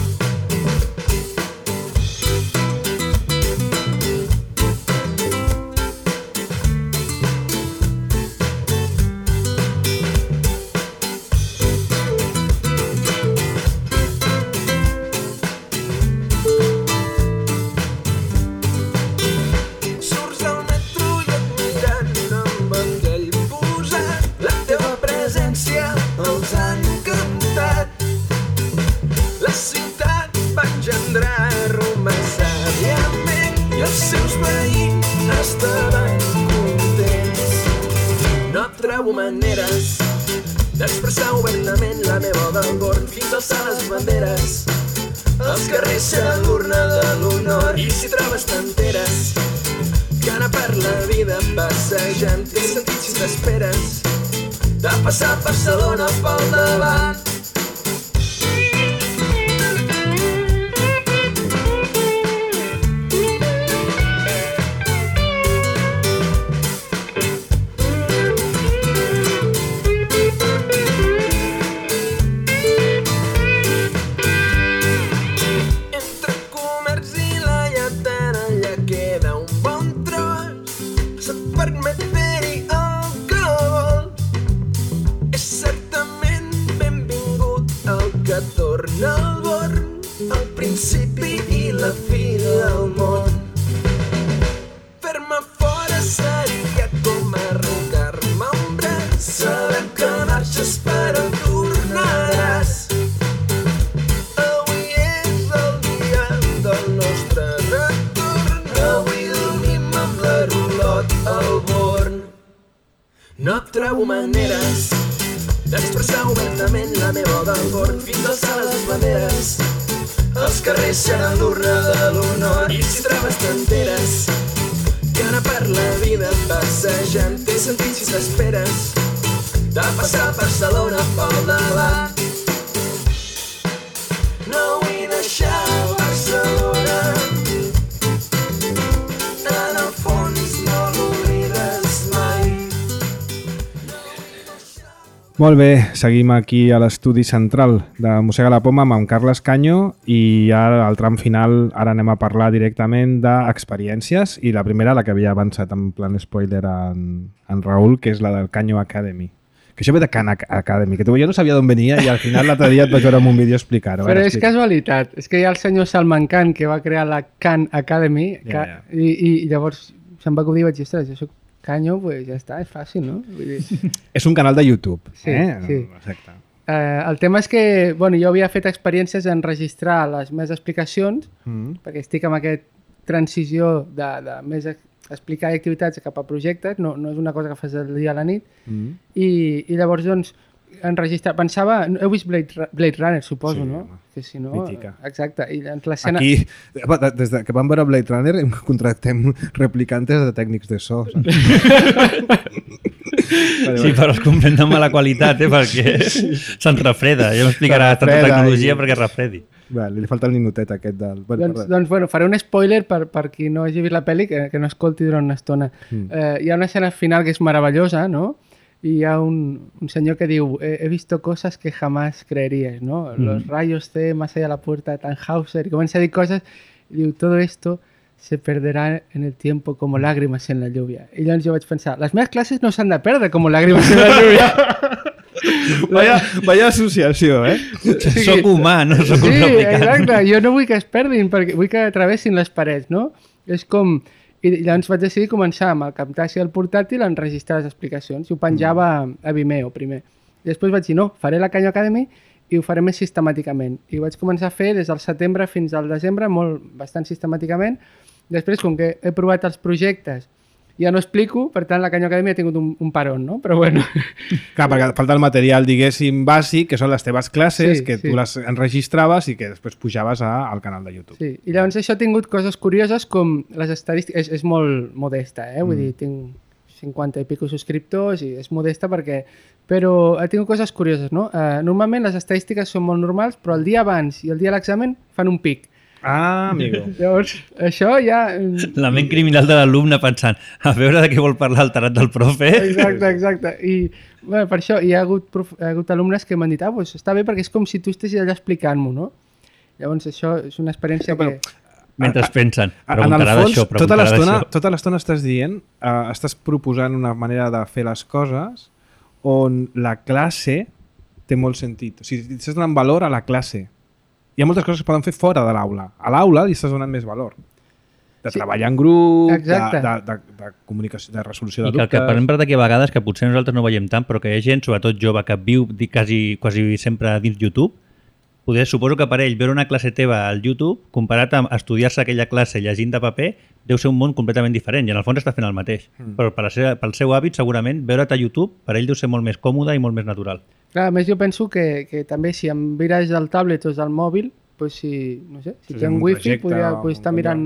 Speaker 5: maneres d'expressar obertament la meva valor fins a alçar les banderes. Els carrers seran l'urna de l'honor i si trobes t'enteres que anar per la vida passejant té sentit si t'esperes de passar Barcelona pel davant. Principi i la fi del món. Fer-me fora seria com arrencar-me un braç. Sabem que marxes però tornaràs. Avui és el dia del nostre retorn. Avui dormim amb la rulot al born. No trobo maneres d'expressar obertament la meva valor fins a alçar les banderes. Els carrers seran l'urna de l'honor i si trobes t'enteres que anar per la vida passejant té sentit si t'esperes de passar Barcelona pel davant. No vull deixar Barcelona, en el fons no l'oblides mai.
Speaker 1: Molt bé, seguim aquí a l'estudi central de Mossega la Poma amb en Carles Canyo i ara al tram final ara anem a parlar directament d'experiències i la primera, la que havia avançat en plan spoiler en, en Raül, que és la del Canyo Academy. Que això ve de Khan Academy, que tu, jo no sabia d'on venia i al final l'altre dia et vaig veure en un vídeo explicar-ho.
Speaker 4: Però
Speaker 1: Ara,
Speaker 4: és
Speaker 1: explica.
Speaker 4: casualitat, és que hi ha el senyor Salman Khan que va crear la Khan Academy
Speaker 1: Ja, ja.
Speaker 4: I, i llavors se'm va acudir i vaig dir, ostres, jo soc Canyo, pues ja està, és fàcil, no? Vull dir...
Speaker 1: És un canal de YouTube.
Speaker 4: Sí,
Speaker 1: eh?
Speaker 4: sí.
Speaker 1: Exacte.
Speaker 4: Eh, el tema és que bueno, jo havia fet experiències en registrar les meves explicacions,
Speaker 1: Mm.
Speaker 4: perquè estic en aquesta transició de, de més ex- explicar activitats cap a projectes, no, no és una cosa que fas del dia a la nit,
Speaker 1: Mm.
Speaker 4: i, i llavors doncs enregistrar, pensava, heu vist Blade, Ra- Blade Runner, suposo,
Speaker 1: Sí,
Speaker 4: no?
Speaker 1: home.
Speaker 4: Que si no,
Speaker 1: Mítica.
Speaker 4: exacte, i doncs l'escena...
Speaker 1: Aquí, des de que vam veure Blade Runner, em contractem replicantes de tècnics de so.
Speaker 3: Sí, però es comprèn de mala qualitat, eh, perquè se'n refreda. Ja m'explicarà
Speaker 1: Se'n
Speaker 3: tanta
Speaker 1: refreda
Speaker 3: tecnologia
Speaker 1: i-
Speaker 3: perquè es refredi.
Speaker 1: Vale, li falta el ninotet aquest del... Bueno,
Speaker 4: Doncs,
Speaker 1: perdó.
Speaker 4: doncs bueno, faré un spoiler per, per qui no hagi vist la pel·li, que, que no escolti durant una estona.
Speaker 1: Mm.
Speaker 4: Eh, hi ha una escena final que és meravellosa, no? Y hi ha un, un senyor que diu he, he visto cosas que jamás creeríais, ¿no?
Speaker 1: Mm.
Speaker 4: Los rayos C más allá de la puerta de Tannhauser, y comença a dir coses i diu, todo esto se perderá en el tiempo como lágrimas en la lluvia. I llavors jo vaig pensar, les meves classes no s'han de perdre com lágrimas en la lluvia.
Speaker 1: Vaya, vaya associació, eh?
Speaker 3: Soc humà, no soc un
Speaker 4: Sí,
Speaker 3: replicant.
Speaker 4: exacte, jo no vull que es perdin, perquè vull que travessin les parets, no? És com... I llavors vaig decidir començar amb el Camtasia del portàtil a enregistrar les explicacions i ho penjava a Vimeo primer. I després vaig dir, no, faré la Canyo Academy i ho faré més sistemàticament. I ho vaig començar a fer des del setembre fins al desembre, molt, bastant sistemàticament. Després, com que he provat els projectes, ja no explico, per tant la Canyo Academy ha tingut un, un parón, no? Però bueno...
Speaker 1: Clar, perquè falta el material, diguéssim, bàsic, que són les teves classes,
Speaker 4: Sí,
Speaker 1: que
Speaker 4: sí.
Speaker 1: tu les enregistraves i que després pujaves a, al canal de YouTube.
Speaker 4: Sí, i llavors això ha tingut coses curioses com les estadístiques, és, és molt modesta, eh? Vull
Speaker 1: Mm.
Speaker 4: dir, tinc cinquanta i pico subscriptors i és modesta perquè... Però ha tingut coses curioses, no? Uh, normalment les estadístiques són molt normals, però el dia abans i el dia de l'examen fan un pic.
Speaker 1: Ah, amigo.
Speaker 4: Llavors, això ja...
Speaker 3: La ment criminal de l'alumne pensant a veure de què vol parlar el tarat del profe.
Speaker 4: Exacte, exacte. I bueno, per això hi ha hagut, prof... hi ha hagut alumnes que m'han dit ah, pues està bé perquè és com si tu estiguis allà explicant-m'ho, no? Llavors això és una experiència
Speaker 1: Ja, però-
Speaker 4: que...
Speaker 3: Mentre es pensen,
Speaker 1: En el
Speaker 3: preguntarà
Speaker 1: fons,
Speaker 3: d'això,
Speaker 1: tota
Speaker 3: preguntarà
Speaker 1: l'estona
Speaker 3: d'això.
Speaker 1: tota l'estona estàs dient, uh, estàs proposant una manera de fer les coses on la classe té molt sentit. O sigui, estàs donant valor a la classe. Hi ha moltes coses que es poden fer fora de l'aula. A l'aula li estàs donant més valor. De
Speaker 4: Sí.
Speaker 1: treballar en grup, de,
Speaker 4: Exacte.
Speaker 1: de, de, de comunicació, de resolució de
Speaker 3: I que el
Speaker 1: dubtes...
Speaker 3: que parlem per d'aquí a vegades, que potser nosaltres no veiem tant, però que hi ha gent, sobretot jove, que viu di- quasi, quasi sempre dins YouTube, poder, suposo que per ell veure una classe teva al YouTube, comparat amb estudiar-se aquella classe llegint de paper, deu ser un món completament diferent i en el fons està fent el mateix. Mm. Però per la seva, pel seu hàbit, segurament, veure't a YouTube per ell deu ser molt més còmode i molt més natural.
Speaker 4: Clar, a més jo penso que, que també si em mires del tablet o del mòbil, pues si, no sé, si
Speaker 1: Sí,
Speaker 4: té un
Speaker 1: un
Speaker 4: wifi
Speaker 1: projecte
Speaker 4: podria
Speaker 1: o
Speaker 4: pues, estar
Speaker 1: un
Speaker 4: mirant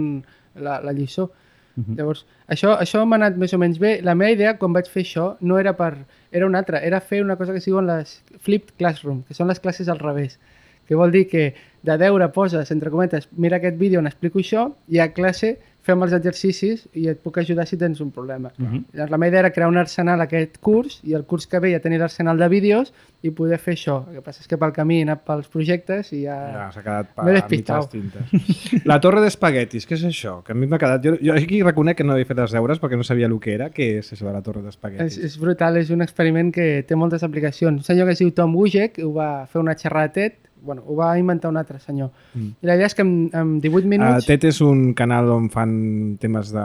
Speaker 4: la, la lliçó.
Speaker 3: Mhm.
Speaker 4: Llavors, això, això m'ha anat més o menys bé. La meva idea quan vaig fer això no era per... Era una altra, era fer una cosa que es diuen les flipped classroom, que són les classes al revés. Que vol dir que de deure poses, entre cometes, mira aquest vídeo on explico això i a classe fem els exercicis i et puc ajudar si tens un problema.
Speaker 3: Mhm.
Speaker 4: Llavors, la meva idea era crear un arsenal aquest curs i el curs que ve ja tenir l'arsenal de vídeos i poder fer això. El que passa és que pel camí he anat pels projectes i ja...
Speaker 1: Ja, s'ha quedat
Speaker 4: M'he
Speaker 1: per
Speaker 4: despistat.
Speaker 1: mitges tintes. La torre d'espaguetis, què és això? Que a mi m'ha quedat... Jo, jo aquí reconec que no havia fet els deures perquè no sabia el que era. Què és això de la torre
Speaker 4: És,
Speaker 1: d'espaguetis?
Speaker 4: és brutal, és un experiment que té moltes aplicacions. Un senyor que es diu Tom Wojcik ho va fer una xerrada TED, bueno, ho va inventar un altre senyor.
Speaker 1: Mm.
Speaker 4: I la idea és que en, en divuit
Speaker 1: Uh,
Speaker 4: minuts...
Speaker 1: TED és un canal on fan temes de...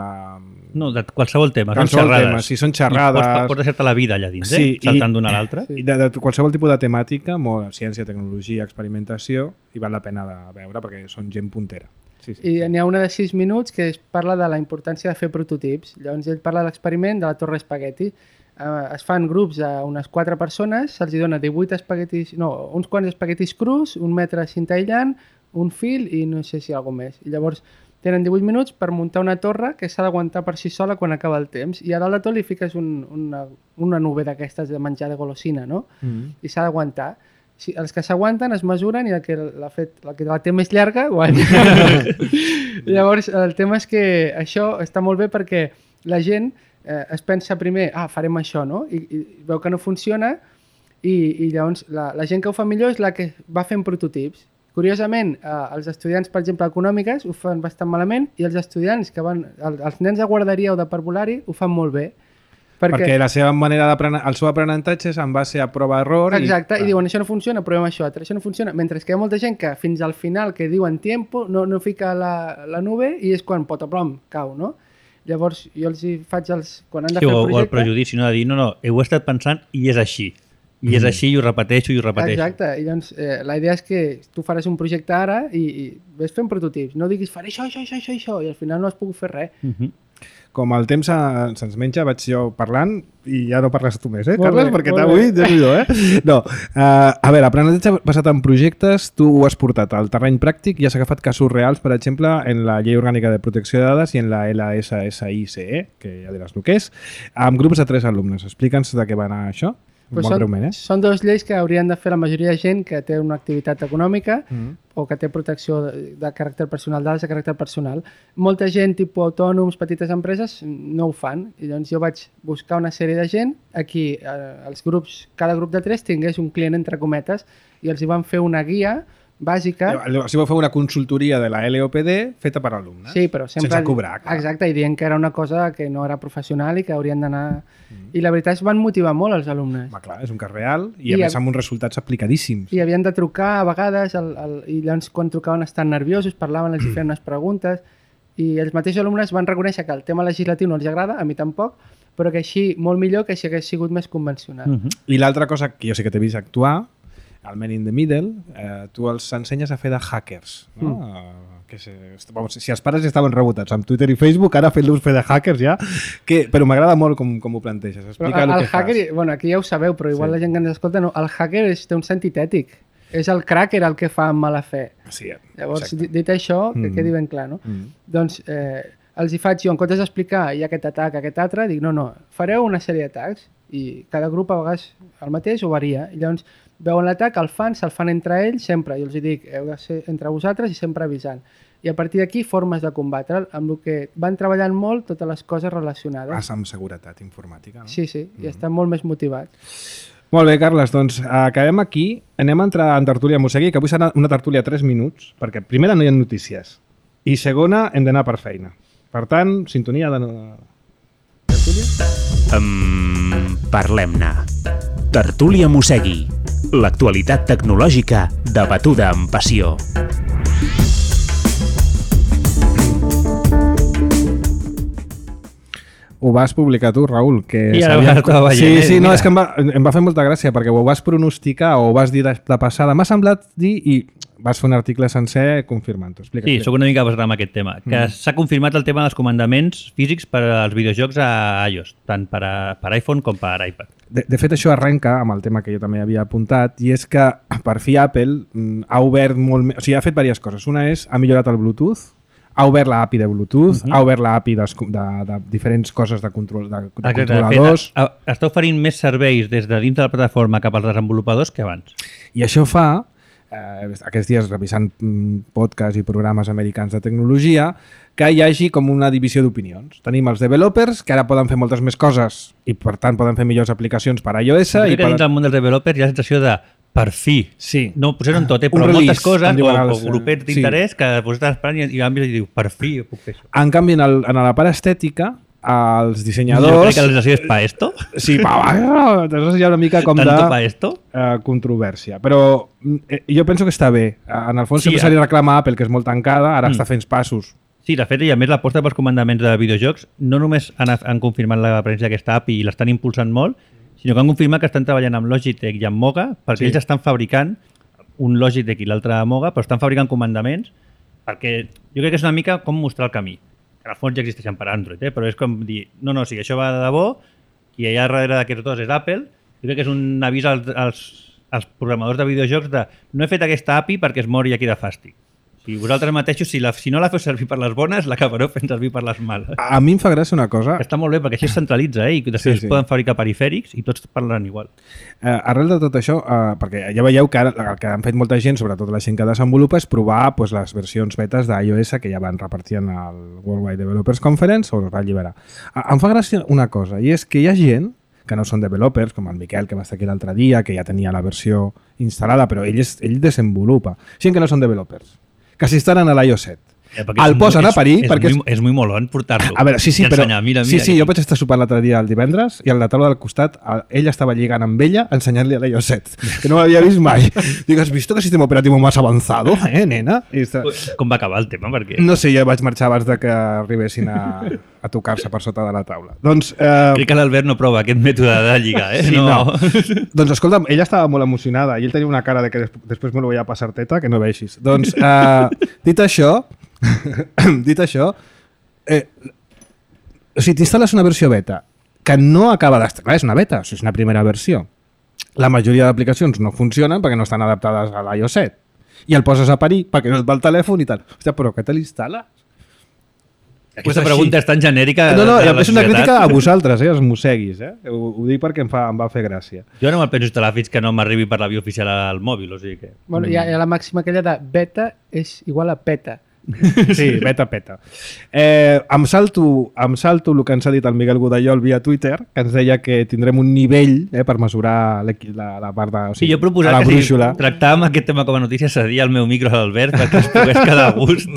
Speaker 3: No, de qualsevol tema, són
Speaker 1: Qualsevol
Speaker 3: xerrades.
Speaker 1: tema, sí, són
Speaker 3: I
Speaker 1: xerrades.
Speaker 3: Pots, pots deixar-te la vida allà dins,
Speaker 1: Sí,
Speaker 3: eh? Saltant d'una a l'altra.
Speaker 1: I de, de qualsevol tipus de temàtica, molt ciència, tecnologia, experimentació, i val la pena de veure perquè són gent puntera. Sí, sí.
Speaker 4: I n'hi ha una de sis minuts que es parla de la importància de fer prototips. Llavors ell parla de l'experiment de la torre espagueti. Uh, es fan grups a unes quatre persones, se'ls dona divuit espaguetis, no, uns quants espaguetis crus, un metre de cinta aïllant, un fil i no sé si alguna més. I llavors tenen divuit minuts per muntar una torre que s'ha d'aguantar per si sola quan acaba el temps. I a dalt de tot li fiques un, una, una nube d'aquestes de menjar de golosina, no?
Speaker 1: Mm.
Speaker 4: I s'ha d'aguantar. Si, els que s'aguanten es mesuren i el que la, fet, la que la té més llarga guanya. Llavors el tema és que això està molt bé perquè la gent eh, es pensa primer, ah, farem això, no? I, i veu que no funciona i, i llavors la, la gent que ho fa millor és la que va fent prototips. Curiosament, eh, els estudiants, per exemple, econòmiques ho fan bastant malament i els estudiants que van, el, els nens de guarderia o de parvulari ho fan molt bé.
Speaker 1: Perquè, perquè la seva manera d'aprenentar, el seu aprenentatge és en base a prova-error.
Speaker 4: Exacte, i,
Speaker 1: i
Speaker 4: diuen això no funciona, provem això altre, això no funciona. Mentre que hi ha molta gent que fins al final que diuen tiempo no, no fica la, la nube i és quan potoplom cau, no? Llavors jo els hi faig els... Quan han de
Speaker 3: Sí,
Speaker 4: fer
Speaker 3: o,
Speaker 4: el
Speaker 3: o el
Speaker 4: projecte...
Speaker 3: prejudici, no? De dir, no, no, ho he estat pensant i és així. I és així i ho repeteixo i ho repeteixo.
Speaker 4: Exacte, i doncs eh, la idea és que tu faràs un projecte ara i, i ves fent prototips. No diguis faré això, això, això, això, això i al final no has pogut fer res.
Speaker 3: Uh -huh.
Speaker 1: Com el temps se- se'ns menja, vaig jo parlant i ja no parles tu més, eh,
Speaker 4: Molt
Speaker 1: Carles?
Speaker 4: bé,
Speaker 1: Perquè
Speaker 4: molt
Speaker 1: avui,
Speaker 4: bé.
Speaker 1: déu-n'hi-do, eh? No, uh, a veure, aprenentatge basat en projectes, tu ho has portat al terreny pràctic i has agafat casos reals, per exemple, en la Llei Orgànica de Protecció de Dades i en la L S S I C E, que ja diràs el que és, amb grups de tres alumnes. Explica'ns de què va anar això.
Speaker 4: Pues
Speaker 1: Molt
Speaker 4: són,
Speaker 1: breument, eh?
Speaker 4: són dues lleis que haurien de fer la majoria de gent que té una activitat econòmica
Speaker 1: Mm.
Speaker 4: o que té protecció de, de caràcter personal, dades de caràcter personal. Molta gent, tipus autònoms, petites empreses, no ho fan. I llavors jo vaig buscar una sèrie de gent a qui eh, els grups, cada grup de tres tingués un client entre cometes i els hi van fer una guia bàsica.
Speaker 1: Si vau fer una consultoria de la L O P D feta per alumnes.
Speaker 4: Sí, però sempre...
Speaker 1: Sense cobrar, clar.
Speaker 4: Exacte, i dient que era una cosa que no era professional i que haurien d'anar... Mm. I la veritat es van motivar molt els alumnes.
Speaker 1: Va, clar, és un cas real i,
Speaker 4: I
Speaker 1: a més
Speaker 4: a-
Speaker 1: amb uns resultats aplicadíssims.
Speaker 4: I havien de trucar a vegades el, el, i llavors quan trucaven estan nerviosos, parlaven, els hi feien unes preguntes i els mateixos alumnes van reconèixer que el tema legislatiu no els agrada, a mi tampoc, però que així molt millor que si hagués sigut més convencional.
Speaker 3: Uh -huh.
Speaker 1: I l'altra cosa que jo sí que t'he vist actuar, al Men in the Middle, eh, tu els ensenyes a fer de hackers. No? Mm. Uh, que se, vamos, si els pares ja estaven rebotats amb Twitter i Facebook, ara fent-los fer de hackers ja, que, però m'agrada molt com, com ho planteges.
Speaker 4: Però
Speaker 1: Explica
Speaker 4: el,
Speaker 1: el,
Speaker 4: el
Speaker 1: que
Speaker 4: hacker,
Speaker 1: fas.
Speaker 4: bueno, aquí ja ho sabeu, però igual
Speaker 1: Sí.
Speaker 4: la gent que ens escolta no, el hacker és, té un sentit ètic. És el cracker el que fa amb mala fe.
Speaker 1: Sí,
Speaker 4: Llavors,
Speaker 1: exacte.
Speaker 4: dit, dit això, que
Speaker 1: Mm.
Speaker 4: quedi ben clar, no?
Speaker 1: Mm.
Speaker 4: Doncs eh, els hi faig jo, en comptes d'explicar hi ha aquest atac, aquest altre, dic no, no, fareu una sèrie d'atacs i cada grup a vegades el mateix o varia. I llavors veuen l'atac, el fan, se'l fan entre ells sempre. Jo els hi dic, heu de ser entre vosaltres i sempre avisant. I a partir d'aquí, formes de combatre'l, amb el que van treballant molt totes les coses relacionades.
Speaker 1: Vas amb seguretat informàtica. No?
Speaker 4: Sí, sí,
Speaker 1: Mm.
Speaker 4: i estan molt més motivats.
Speaker 1: Molt bé, Carles, doncs acabem aquí. Anem a entrar en tertúlia Mosegui, que avui serà una tertúlia de tres minuts, perquè primera no hi ha notícies i segona hem d'anar per feina. Per tant, sintonia de... tertúlia?
Speaker 2: Um, Parlem-ne. Tertúlia Mosegui. L'actualitat tecnològica debatuda amb passió.
Speaker 1: Ho vas publicar tu, Raül, que
Speaker 3: I ara
Speaker 1: sabia-
Speaker 3: estava veient,
Speaker 1: Sí,
Speaker 3: eh?
Speaker 1: sí, no,
Speaker 3: Mira.
Speaker 1: és que em va, em va fer molta gràcia perquè ho vas pronosticar o ho vas dir de, de passada. M'ha semblat dir, i vas fer un article sencer confirmant-ho. Explica.
Speaker 3: Sí, sóc una mica basat en aquest tema. Que mm. s'ha confirmat el tema dels comandaments físics per als videojocs a iOS, tant per, a, per iPhone com per iPad.
Speaker 1: De, de fet, això arrenca amb el tema que jo també havia apuntat, i és que per fi Apple ha obert molt més... O sigui, ha fet diverses coses. Una és, ha millorat el Bluetooth, ha obert l'A P I de Bluetooth, uh -huh. ha obert l'A P I de, de, de diferents coses de, control, de, de
Speaker 3: Exacte,
Speaker 1: controladors...
Speaker 3: De fet, està oferint més serveis des de dins de la plataforma cap als desenvolupadors que abans.
Speaker 1: I això fa, eh, aquests dies revisant podcasts i programes americans de tecnologia, que hi hagi com una divisió d'opinions. Tenim els developers, que ara poden fer moltes més coses i per tant poden fer millors aplicacions per a iOS.
Speaker 3: Jo crec
Speaker 1: i
Speaker 3: que dins del món dels developers hi ha la sensació de per fi.
Speaker 1: Sí.
Speaker 3: No posem tot, eh?
Speaker 1: Un
Speaker 3: Però
Speaker 1: release,
Speaker 3: moltes coses,
Speaker 1: em diuen
Speaker 3: o,
Speaker 1: els,
Speaker 3: o grupets d'interès, sí. que pues, estàs esperant i, i, i diu, per fi puc fer això.
Speaker 1: En canvi, en, el, en la part estètica, els dissenyadors...
Speaker 3: Jo crec que la sensació és pa esto.
Speaker 1: Sí, pa, pa, hi ha una mica com
Speaker 3: Tanto
Speaker 1: de
Speaker 3: pa esto.
Speaker 1: Uh, controvèrsia. Però eh, jo penso que està bé. En el fons
Speaker 3: Sí,
Speaker 1: sempre se li reclama a Apple, que és molt tancada, ara mm. està fent passos.
Speaker 3: Sí, de fet, i a més l'aposta pels comandaments de videojocs no només han, han confirmat la presència d'aquesta A P I i l'estan impulsant molt, sinó que han confirmat que estan treballant amb Logitech i amb Moga, perquè sí. ells estan fabricant un Logitech i l'altre Moga, però estan fabricant comandaments, perquè jo crec que és una mica com mostrar el camí. En el fons ja existeixen per Android, eh? Però és com dir, no, no, si això va de debò, i allà darrere d'aquests dos és Apple, jo crec que és un avís als, als, als programadors de videojocs de no he fet aquesta A P I perquè es mori aquí de fàstic. Si vosaltres mateixos, si, la, si no la feu servir per les bones, l'acabareu fent servir per les males.
Speaker 1: A mi em fa gràcia una cosa...
Speaker 3: Està molt bé, perquè així es centralitza, eh? I després sí, sí. poden fabricar perifèrics i tots parlen igual.
Speaker 1: Eh, arrel de tot això, eh, perquè ja veieu que ara el que han fet molta gent, sobretot la gent que desenvolupa, és provar pues, les versions betes d'iOS que ja van repartir en el World Wide Developers Conference o es va alliberar. Eh, em fa gràcia una cosa, i és que hi ha gent que no són developers, com el Miquel, que va estar aquí l'altre dia, que ja tenia la versió instal·lada, però ell, és, ell desenvolupa. Gent que no són developers, que s'instal·len a l'iOS set.
Speaker 3: Eh,
Speaker 1: el posen
Speaker 3: és,
Speaker 1: a parir
Speaker 3: és,
Speaker 1: perquè...
Speaker 3: És, muy, és muy molón portar-lo.
Speaker 1: A veure, sí, sí, però...
Speaker 3: Ensenyar, mira, mira,
Speaker 1: sí, sí,
Speaker 3: aquí.
Speaker 1: jo vaig estar sopant l'altre dia el divendres i a la taula del costat ell estava lligant amb ella ensenyant-li a l'iOS set, que no l'havia vist mai. Dic, has visto que sistema operativo más avanzado, eh, nena? I està...
Speaker 3: Com va acabar el tema? Perquè...
Speaker 1: No sé, ja vaig marxar abans de que arribessin a, a tocar-se per sota de la taula. Doncs... Eh...
Speaker 3: Crec que l'Albert no prova aquest mètode de lligar, eh?
Speaker 1: Sí,
Speaker 3: no.
Speaker 1: no. Doncs escolta, ella estava molt emocionada i ell tenia una cara de que des després me lo voy a passar teta, que no veixis. Doncs, eh, dit això, dit això, eh, o sigui, t'instal·les una versió beta que no acaba d'estar, és una beta, o sigui, és una primera versió. La majoria d'aplicacions no funcionen perquè no estan adaptades a l'iOS set i el poses a parir perquè no et va el telèfon i tal. Hòstia, però què te l'instal·les?
Speaker 3: Aquesta pues pregunta és tan genèrica...
Speaker 1: No, no, és una crítica a vosaltres, eh, els mosseguis. Eh? Ho, ho dic perquè em, fa, em va fer gràcia.
Speaker 3: Jo no me'l penso instal·lar fins que no m'arribi per la via oficial al mòbil, o sigui que...
Speaker 4: Bueno, hi ha, hi ha la màxima aquella de beta és igual a peta.
Speaker 1: Sí, beta, peta. Eh, em, salto, em salto el que ens ha dit el Miguel Godallol via Twitter, que ens deia que tindrem un nivell eh, per mesurar la, la part de... O sigui,
Speaker 3: sí, jo he proposat que si tractàvem aquest tema com a notícia cedia el meu micro a l'Albert perquè es pogués quedar a gust.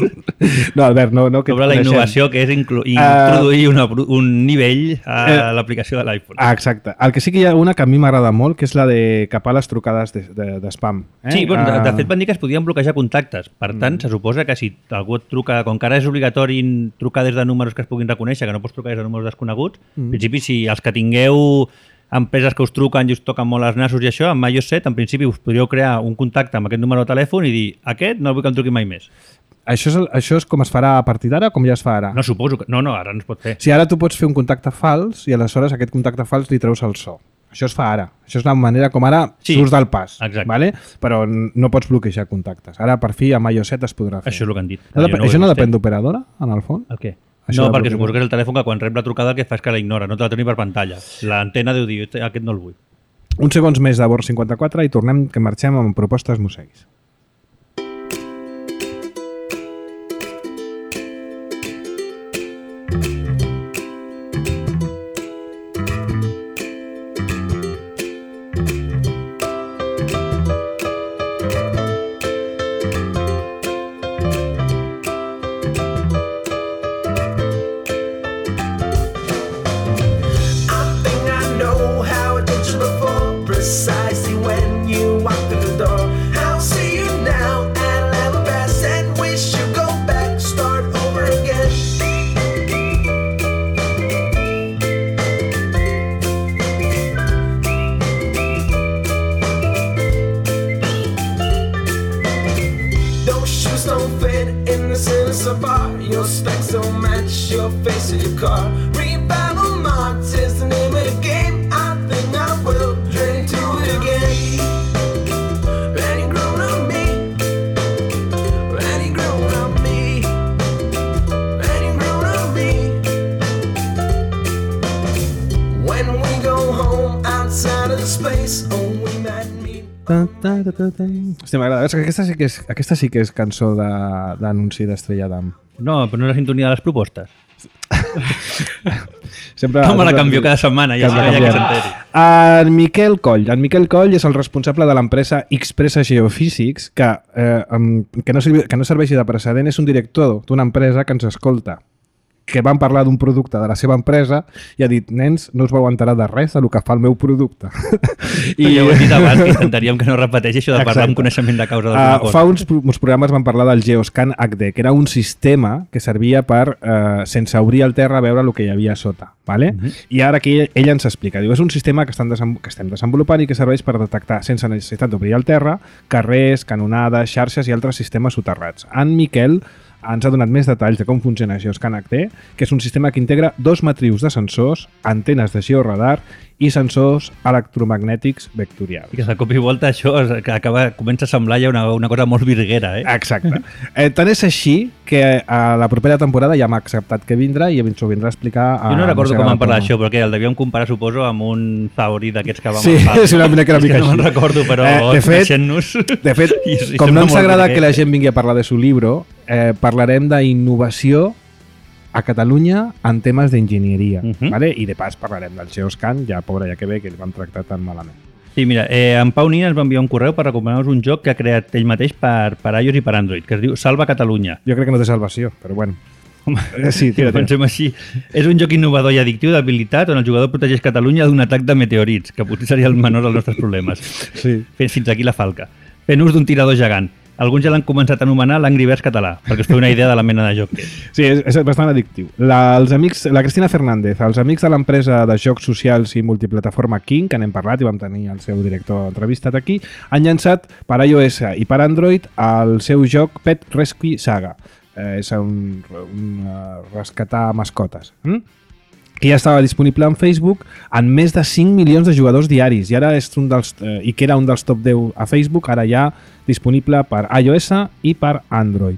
Speaker 1: No, Albert, no. no que
Speaker 3: sobre la innovació que és inclu introduir uh, una, un nivell a eh, l'aplicació de l'iPhone.
Speaker 1: Ah, exacte. El que sí que hi ha una que a mi m'agrada molt, que és la de capar les trucades d'espam. De, de,
Speaker 3: eh? Sí, bueno, uh, de, de fet van dir que es podien bloquejar contactes. Per tant, mm. se suposa que si algú et truca, com que ara és obligatori trucar des de números que es puguin reconèixer, que no pots trucar des de números desconeguts, mm. en principi, si els que tingueu empreses que us truquen i us toquen molt els nassos i això, amb iOS set, en principi us podríeu crear un contacte amb aquest número de telèfon i dir, aquest no el vull que em truqui mai més.
Speaker 1: Això és, això és com es farà a partir d'ara o com ja es fa ara?
Speaker 3: No, suposo que... No, no, ara no es pot fer.
Speaker 1: Si ara tu pots fer un contacte fals i aleshores aquest contacte fals li treus el so. Això es fa ara. Això és la manera com ara sí, surts del pas. Vale? Però no pots bloquejar contactes. Ara, per fi, amb iOS set es podrà fer.
Speaker 3: Això és el que han dit.
Speaker 1: No, no això no depèn d'operadora, en el fons?
Speaker 3: El què? Això no, perquè suposo que és el telèfon que quan rep la trucada el que fa és que la ignora, no te la troni per pantalla. L'antena deu dir, aquest no el vull.
Speaker 1: Uns segons més de Bord cinquanta-quatre i tornem, que marxem amb propostes mosseguis.
Speaker 5: Precisely when you walk through the door, I'll see classic car. Rebel Marks is the name of the game. I think I will drink to it again. Any grown up me, any grown up me, any grown up me. When we go home outside of space, oh, we might meet.
Speaker 1: Hòstia, m'agrada. És que Aquesta sí que és, aquesta sí que és cançó de- d'anunci d'Estrella d'Am.
Speaker 3: No, però no és la sintonia de les propostes.
Speaker 1: Sempre,
Speaker 3: No me la
Speaker 1: sempre-
Speaker 3: canvio cada setmana, ja,
Speaker 1: Cada
Speaker 3: ja que
Speaker 1: canviant.
Speaker 3: s'enteri.
Speaker 1: En Miquel Coll. En Miquel Coll és el responsable de l'empresa Expressa Geophysics, que, eh, em, que, no servi, que no serveixi de precedent, és un director d'una empresa que ens escolta, que van parlar d'un producte de la seva empresa i ha dit, nens, no us vau enterar de res del que fa el meu producte.
Speaker 3: I ja ho he dit abans, que intentaríem que no repeteixi això de parlar
Speaker 1: Exacte.
Speaker 3: amb coneixement de causa d'alguna
Speaker 1: Uh,
Speaker 3: cosa.
Speaker 1: fa uns, pro- uns programes van parlar del Geoscan H D, que era un sistema que servia per, uh, sense obrir el terra, veure el que hi havia a sota. Vale? Uh -huh. I ara aquí ella, ella ens explica. Diu, és un sistema que, estan desem que estem desenvolupant i que serveix per detectar, sense necessitat d'obrir el terra, carrers, canonades, xarxes i altres sistemes soterrats. En Miquel ens ha donat més detalls de com funciona Geoscan H D, que és un sistema que integra dos matrius de sensors, antenes de georadar i sensors electromagnètics vectorials.
Speaker 3: I que de cop i volta això es- que acaba, comença a semblar ja una, una cosa molt virguera, eh?
Speaker 1: Exacte. Eh, tant és així que a la propera temporada ja m'ha acceptat que vindrà i ens ho vindrà a explicar. A
Speaker 3: Jo no recordo com
Speaker 1: Mossega
Speaker 3: vam parlar
Speaker 1: la
Speaker 3: d'això, perquè el devíem comparar, suposo, amb un Zauri d'aquests que vam
Speaker 1: Sí,
Speaker 3: agafar.
Speaker 1: és una mica, una
Speaker 3: És que
Speaker 1: mica
Speaker 3: no me'n
Speaker 1: així.
Speaker 3: recordo, però
Speaker 1: Eh, de fet-
Speaker 3: coneixent-nos...
Speaker 1: De fet,
Speaker 3: i- i
Speaker 1: com
Speaker 3: sembla
Speaker 1: no ens
Speaker 3: molt
Speaker 1: agrada
Speaker 3: virguer.
Speaker 1: que la gent vingui a parlar de su libro, eh, parlarem d'innovació a Catalunya en temes d'enginyeria.
Speaker 3: Uh -huh.
Speaker 1: Vale? I de pas parlarem del Geoscan, ja pobra, ja que ve, que el vam tractar tan malament.
Speaker 3: Sí, mira, eh, en Pau Nina ens va enviar un correu per recomanar-nos un joc que ha creat ell mateix per, per iOS i per Android, que es diu Salva Catalunya.
Speaker 1: Jo crec que no té salvació, però bueno. Eh, Sí,
Speaker 3: Si
Speaker 1: tira,
Speaker 3: ho
Speaker 1: tira.
Speaker 3: pensem així, és un joc innovador i addictiu d'habilitat on el jugador protegeix Catalunya d'un atac de meteorits, que potser seria el menor dels nostres problemes.
Speaker 1: Sí.
Speaker 3: Fins fins aquí la falca. Fent ús d'un tirador gegant. Alguns ja l'han començat a anomenar l'Angry Birds català, perquè us feu una idea de la mena de joc que és.
Speaker 1: Sí, és, és bastant addictiu. La, els amics, la Cristina Fernández, els amics de l'empresa de jocs socials i multiplataforma King, que n'hem parlat i vam tenir el seu director entrevistat aquí, han llançat per iOS i per Android el seu joc Pet Rescue Saga. Eh, és un, un uh, rescatar mascotes. Mm? Que ja estava disponible en Facebook en més de cinc milions de jugadors diaris i ara és un dels, eh, i que era un dels top deu a Facebook, ara ja disponible per iOS i per Android.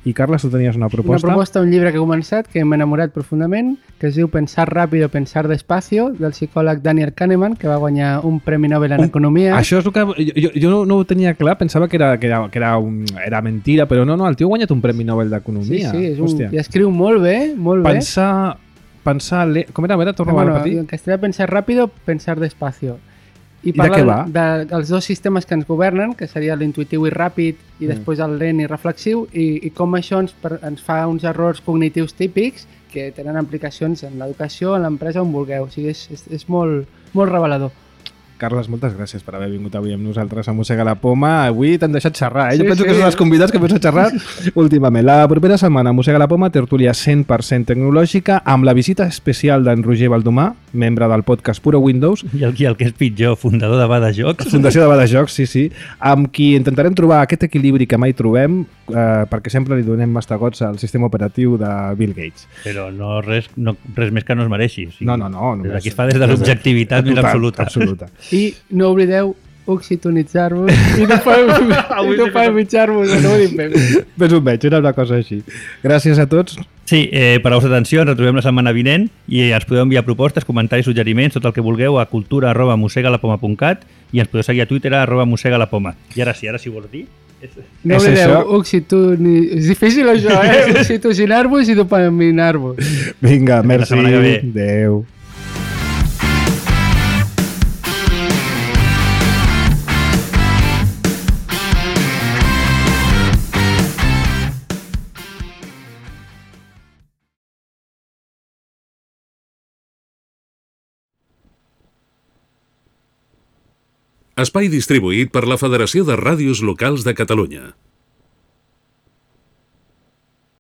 Speaker 1: I Carles, tu tenies una proposta?
Speaker 4: Una proposta, un llibre que he començat, que m'he enamorat profundament, que es diu Pensar ràpido, pensar despacio, del psicòleg Daniel Kahneman, que va guanyar un Premi Nobel en
Speaker 1: Un-
Speaker 4: Economia.
Speaker 1: Això és el que... Jo, jo, jo no, no ho tenia clar, pensava que era, que era, que era, un, era mentira, però no, no, el tio ha guanyat un Premi Nobel
Speaker 4: Sí,
Speaker 1: d'Economia.
Speaker 4: sí, és un,
Speaker 1: Hòstia.
Speaker 4: i escriu molt bé, molt bé.
Speaker 1: Pensar... Pensar... Le... Com era? A veure, torna
Speaker 4: Bueno,
Speaker 1: a repetir.
Speaker 4: en castellà, pensar ràpido, pensar despacio. I
Speaker 1: I de què va?
Speaker 4: parla dels dos sistemes que ens governen, que seria l'intuitiu i ràpid i
Speaker 1: Mm.
Speaker 4: després el lent i reflexiu, i, i com això ens, per, ens fa uns errors cognitius típics que tenen implicacions en l'educació, en l'empresa, on vulgueu. O sigui, és, és, és molt, molt revelador.
Speaker 1: Carles, moltes gràcies per haver vingut avui amb nosaltres a Mossega la Poma. Avui t'han deixat xerrar, eh? Jo
Speaker 4: Sí,
Speaker 1: penso
Speaker 4: sí.
Speaker 1: que són els convidats que més a xerrar últimament. La propera setmana a Mossega la Poma, tertúlia cent per cent tecnològica, amb la visita especial d'en Roger Baldomà, membre del podcast Puro Windows,
Speaker 3: I el, i el que és pitjor, fundador de Bada Jocs.
Speaker 1: Fundació de Badajocs, sí, sí, amb qui intentarem trobar aquest equilibri que mai trobem, eh, perquè sempre li donem mastegots al sistema operatiu de Bill Gates.
Speaker 3: Però no res, no, res més que no es mereixi. O sigui,
Speaker 1: No, no, no.
Speaker 3: Des d'aquí es fa des de l'objectivitat més
Speaker 1: Total,
Speaker 3: absoluta.
Speaker 1: absoluta.
Speaker 4: I no oblideu oxitonitzar-vos i no palmitjar-vos, no ho dic bé.
Speaker 1: Més o menys, era una cosa així. Gràcies a tots.
Speaker 3: Sí, eh, per la vostra atenció, ens retrobem la setmana vinent i ens podeu enviar propostes, comentaris, suggeriments, tot el que vulgueu a cultura arroba mosegalapoma punt cat i ens podeu seguir a Twitter a arroba mosegalapoma. I ara sí, ara sí ho vols dir? És...
Speaker 4: No
Speaker 1: És
Speaker 4: oblideu
Speaker 1: això.
Speaker 4: oxitoni... És difícil això, eh? Oxitocinar-vos i dopaminar-vos.
Speaker 1: Vinga,
Speaker 3: Fins la
Speaker 1: merci.
Speaker 3: setmana que ve.
Speaker 1: Adéu.
Speaker 6: Espai distribuït per la Federació de Ràdios Locals de Catalunya.